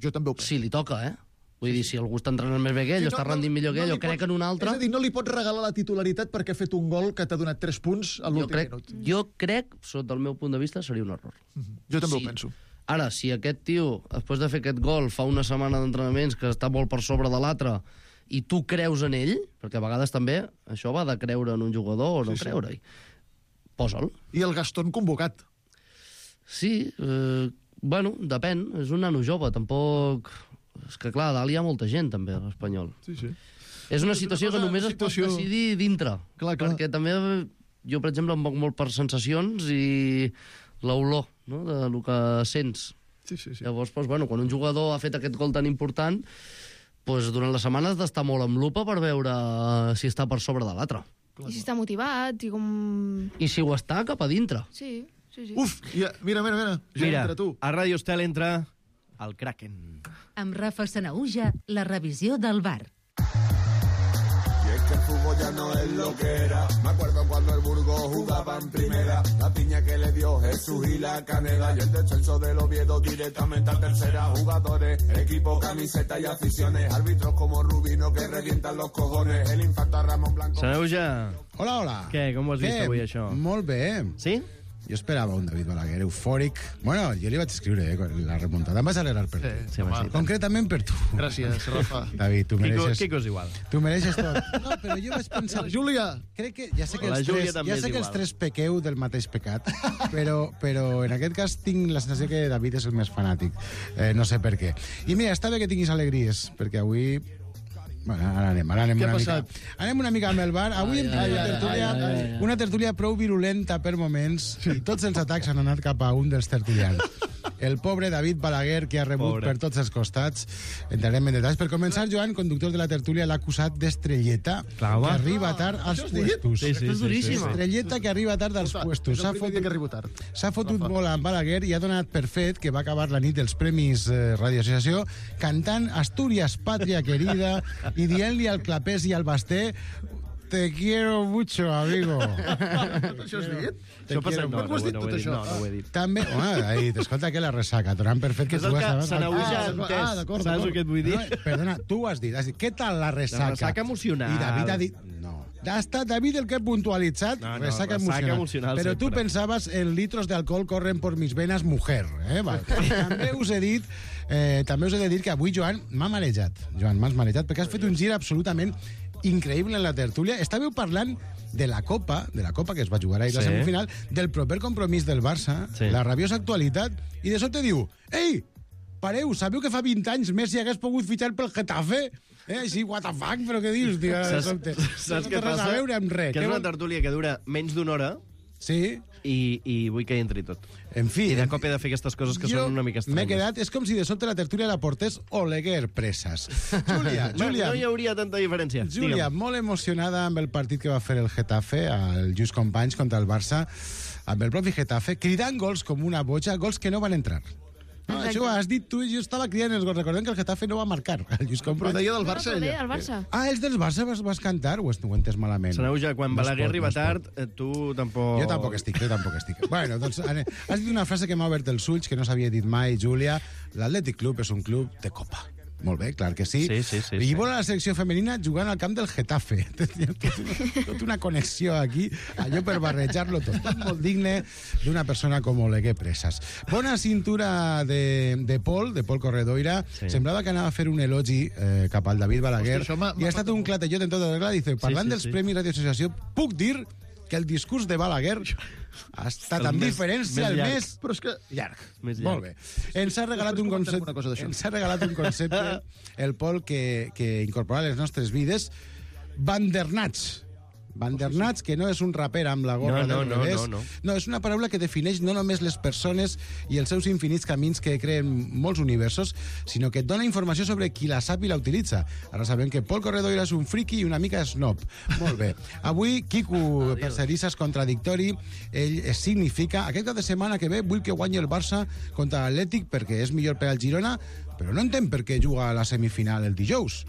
Jo també ho penso. Sí, li toca, eh? Vull dir, si algú està entrenant més bé que ell, sí, no, està rendint millor que ell, no o crec pot, en un altre... És a dir, no li pots regalar la titularitat perquè ha fet un gol que t'ha donat tres punts a l'últim minut. Jo crec, sota el meu punt de vista, seria un error. Mm-hmm. Jo també sí. ho penso. Ara, si aquest tio, després de fer aquest gol, fa una setmana d'entrenaments que està molt per sobre de l'altre, i tu creus en ell, perquè a vegades també això va de creure en un jugador o no sí, creure-hi, sí. Posa'l. I el Gastón convocat. Sí, eh, bueno, depèn, és un nano jove, tampoc... És que, clar, a dalt hi ha molta gent, també, a l'Espanyol. Sí, sí. És una situació és una cosa, que només situació... es pot decidir dintre. Clar, clar. Perquè també jo, per exemple, em moc molt per sensacions i l'olor, no?, de lo que sents. Sí, sí, sí. Llavors, doncs, bueno, quan un jugador ha fet aquest gol tan important, doncs, durant la setmana has d'estar molt amb lupa per veure si està per sobre de l'altre. I si està motivat, i com... I si ho està, cap a dintre. Sí, sí, sí. Uf, ja, mira, mira, mira. Ja mira, entra tu. A Ràdio Estel entra el Kraken. Amb Rafa Sanaúja, la revisió del bar. Y es que el fútbol ya no es lo que era. Me acuerdo cuando el Burgos jugaba en primera. La piña que le dio Jesús y la Canela. Y el descenso del Oviedo directamente a tercera. Jugadores, equipo, camiseta y aficiones. Árbitros como Rubino que revientan los cojones. El infarto a Ramón Blanco. Sanauja. Hola, hola. Què, com ho has vist Què? avui, això? Molt bé. Sí? Jo esperava un David Balaguer eufòric. Bueno, jo li vaig escriure, eh, la remuntada. Em vas alegrar per tu. Sí, home, sí. Concretament per tu. Gràcies, Rafa. David, tu mereixes... Quico, Quico és igual. Tu mereixes tot. No, però jo vaig pensar... Júlia! Crec que ja sé que La els Júlia tres, també ja és sé que els igual. tres pequeu del mateix pecat, però, però en aquest cas tinc la sensació que David és el més fanàtic. Eh, no sé per què. I mira, està bé que tinguis alegries, perquè avui... Bueno, ara anem, ara anem Què ha una mica. passat? Anem una mica amb el bar. Avui hem tingut una tertúlia, ai, ai, ai. una tertúlia prou virulenta per moments, i tots els atacs han anat cap a un dels tertulians. El pobre David Balaguer, que ha rebut Pobre. per tots els costats. Entrarem en detalls. Per començar, Joan, conductor de la tertúlia, l'ha acusat d'estrelleta, Clar, que home. arriba tard als Això has dit? puestos. Sí, sí, és sí, duríssima. Estrelleta que arriba tard als puestos. És S'ha el primer dia fotut, que arribo tard. s'ha fotut molt amb Balaguer i ha donat per fet que va acabar la nit dels Premis eh, Radio Associació cantant Asturias, Patria Querida, i dient-li al Clapés i al Basté: te quiero mucho, amigo. Això has dit? Te Això passa... quiero No, Per què ho has dit no, tot ho he dit, això? no, no ho he dit. També, home, ha dit, escolta, que la ressaca, donant per fet que És tu el que estaves... se n'hauja Ah, entès. ah, d'acord, Saps d'acord. el que et vull dir? No, perdona, tu ho has dit. Has dit, què tal la ressaca? La ressaca emocional. I David ha dit... No. Ha estat David el que ha puntualitzat No, no, ressaca, ressaca emocional. emocional Però tu sempre. pensaves en litros de alcohol corren por mis venas mujer. Eh? Vale. També us he dit... Eh, també us he de dir que avui, Joan, m'ha marejat. Joan, m'has marejat, perquè has fet un gir absolutament increïble en la tertúlia. Estàveu parlant de la Copa, de la Copa que es va jugar ahir, sí. La Sí. semifinal, del proper compromís del Barça, Sí. la rabiosa actualitat, i de sobte diu: ei, pareu, sabeu que fa vint anys Messi hagués pogut fitxar pel Getafe? Eh, així, what the fuck, però què dius, tio? de sobte? Saps no què té res passa? a veure amb res. Que és Què una vol- tertúlia que dura menys d'una hora Sí, i, i vull que hi entri tot. en fi... I de cop he de fer aquestes coses que jo són una mica m'he estranyes. quedat... És com si de sobte la tertúlia la portés Oleguer Presas. Júlia, Júlia... No hi hauria tanta diferència. Júlia, Digue'm. molt emocionada amb el partit que va fer el Getafe, el Just Companys contra el Barça, amb el propi Getafe, cridant gols com una boja, gols que no van entrar. No, Exacte. això ho has dit tu i jo estava cridant els gols. Recordem que el Getafe no va marcar. El Just Però Companys... deia del No, Barça, però deia ella. del Barça. Ah, els del Barça vas, vas cantar? O ho he entès malament? Se n'auja, quan No es Balaguer pot, arriba no es pot. tard, eh, tu tampoc... Jo tampoc estic, jo tampoc estic. Bueno, doncs, ane- has dit una frase que m'ha obert els ulls, que no s'havia dit mai, Júlia. L'Atlètic Club és un club de copa. Molt bé, clar que sí. Sí, sí, sí, I sí. vol a la selecció femenina jugant al camp del Getafe. Tenia tot una, tot una connexió aquí, allò per barrejar-lo tot. Tot molt digne d'una persona com Oleguer Presas. Bona cintura de, de Pol, de Pol Corredoira. Sí. Semblava que anava a fer un elogi eh, cap al David Balaguer. Hòstia, això m'ha- I ha estat un clatellot en tota regla. Dice, parlant sí, dels sí. Premis Radio Associació, puc dir que el discurs de Balaguer ha estat El amb més- diferència més el llarg. més Però és que... llarg. Més llarg. Molt bé. Ens ha regalat un Després comentem concepte, una cosa d'això. ens ha regalat un concepte el Pol que, que incorporarà a les nostres vides. Vandernats. Vandernats, que no és un raper amb la gorra No, no, del no, revés. no, no. No, és una paraula que defineix no només les persones i els seus infinits camins que creen molts universos, sinó que et dona informació sobre qui la sap i la utilitza. Ara sabem que Pol Corredoira és un friki i una mica snob. Molt bé. Avui, Quico Percerissa és contradictori. Ell es significa... Aquest cap de setmana que ve vull que guanyi el Barça contra l'Atlètic perquè és millor per al Girona, però no entenc per què juga a la semifinal el dijous.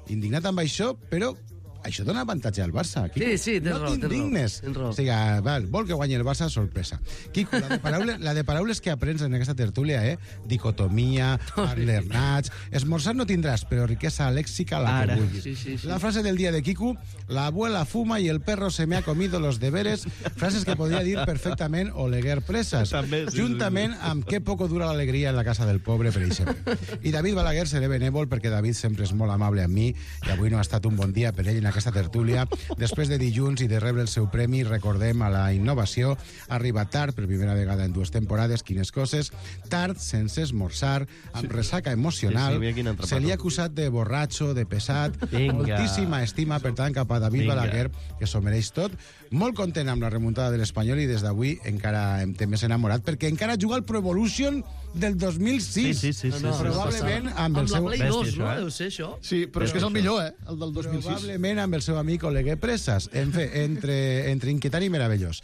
Indignat amb això, però això dona avantatge al Barça. Quico. Sí, sí, tens no raó, tens raó, t'indignes. tens raó. O sigui, val, vol que guanyi el Barça, sorpresa. Quico, la de paraules, la de paraules que aprens en aquesta tertúlia, eh? Dicotomia, alternats... Esmorzar no tindràs, però riquesa lèxica la Ara. que vulguis. Sí, sí, sí. La frase del día de Quico, la abuela fuma y el perro se me ha comido los deberes, frases que podria dir perfectament Oleguer Presas. També, sí, juntament amb que poco dura l'alegria en la casa del pobre, per exemple. I David Balaguer seré benèvol perquè David sempre és molt amable amb mi i avui no ha estat un bon dia per ell en aquesta tertúlia. Després de dilluns i de rebre el seu premi, recordem a la innovació, arriba tard, per primera vegada en dues temporades, quines coses, tard, sense esmorzar, amb ressaca emocional, Sí, sí, mira quin atrapat. se li ha acusat de borratxo, de pesat, Vinga. moltíssima estima, per tant, cap a David Vinga. Balaguer, que s'ho mereix tot. Molt content amb la remuntada de l'Espanyol i des d'avui encara em té més enamorat, perquè encara juga al Pro Evolution del dos mil sis. Sí, sí, sí, sí, sí. Probablement amb el Amb la seu... Play Bèstia, dos, això, no? eh? Deu ser això. Sí, però és que és el millor, eh? El del dos mil sis. Probablement amb el seu amic Oleguer Presas. En fi, entre, entre inquietant i meravellós.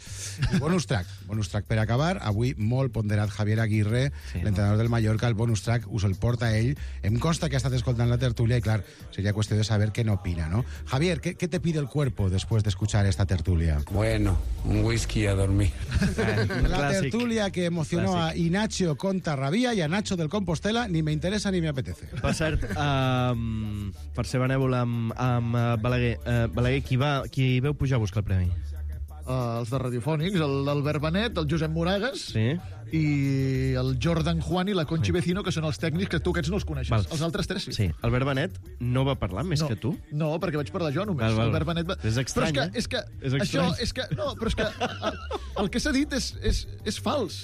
I bonus track. Bonus track per acabar. Avui molt ponderat Javier Aguirre, Sí, l'entrenador del Mallorca. El bonus track us el porta ell. Em consta que ha estat escoltant la tertulia i, clar, seria qüestió de saber què n'opina, ¿no? Javier, ¿qué, ¿qué te pide el cuerpo después de escuchar esta tertulia? Bueno, un whisky a dormir. La Clàssic. tertulia que emocionó Clàssic. a Inacho Contarrabia y a Nacho del Compostela ni me interesa ni me apetece. Per cert, um, per ser benèvol amb, amb uh, Balaguer, uh, Balaguer, qui, va, qui veu pujar a buscar el premi? uh, els de Radiofònics, el- l'Albert Benet, el Josep Moragas Sí. i el Jordan Juan i la Conchi Vecino, que són els tècnics que tu aquests no els coneixes. Val. Els altres tres sí. Sí, Albert Benet no va parlar més no, que tu? No, perquè vaig parlar jo només. Val, val. Albert Benet va... És estrany, però eh? és que, és És que això, estrany. és que, no, però és que el, el que s'ha dit és, és, és fals.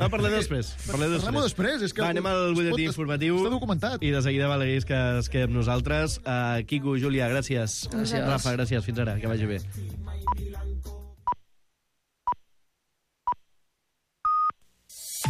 Va, parlem després. Parlem després. Parlem-ho després. És que Va, anem al es butlletí pot- informatiu. Està documentat. I de seguida Balaguer que es queda amb nosaltres. Uh, Quico, Júlia, gràcies. Gràcies. Rafa, gràcies. Fins ara, que vagi bé.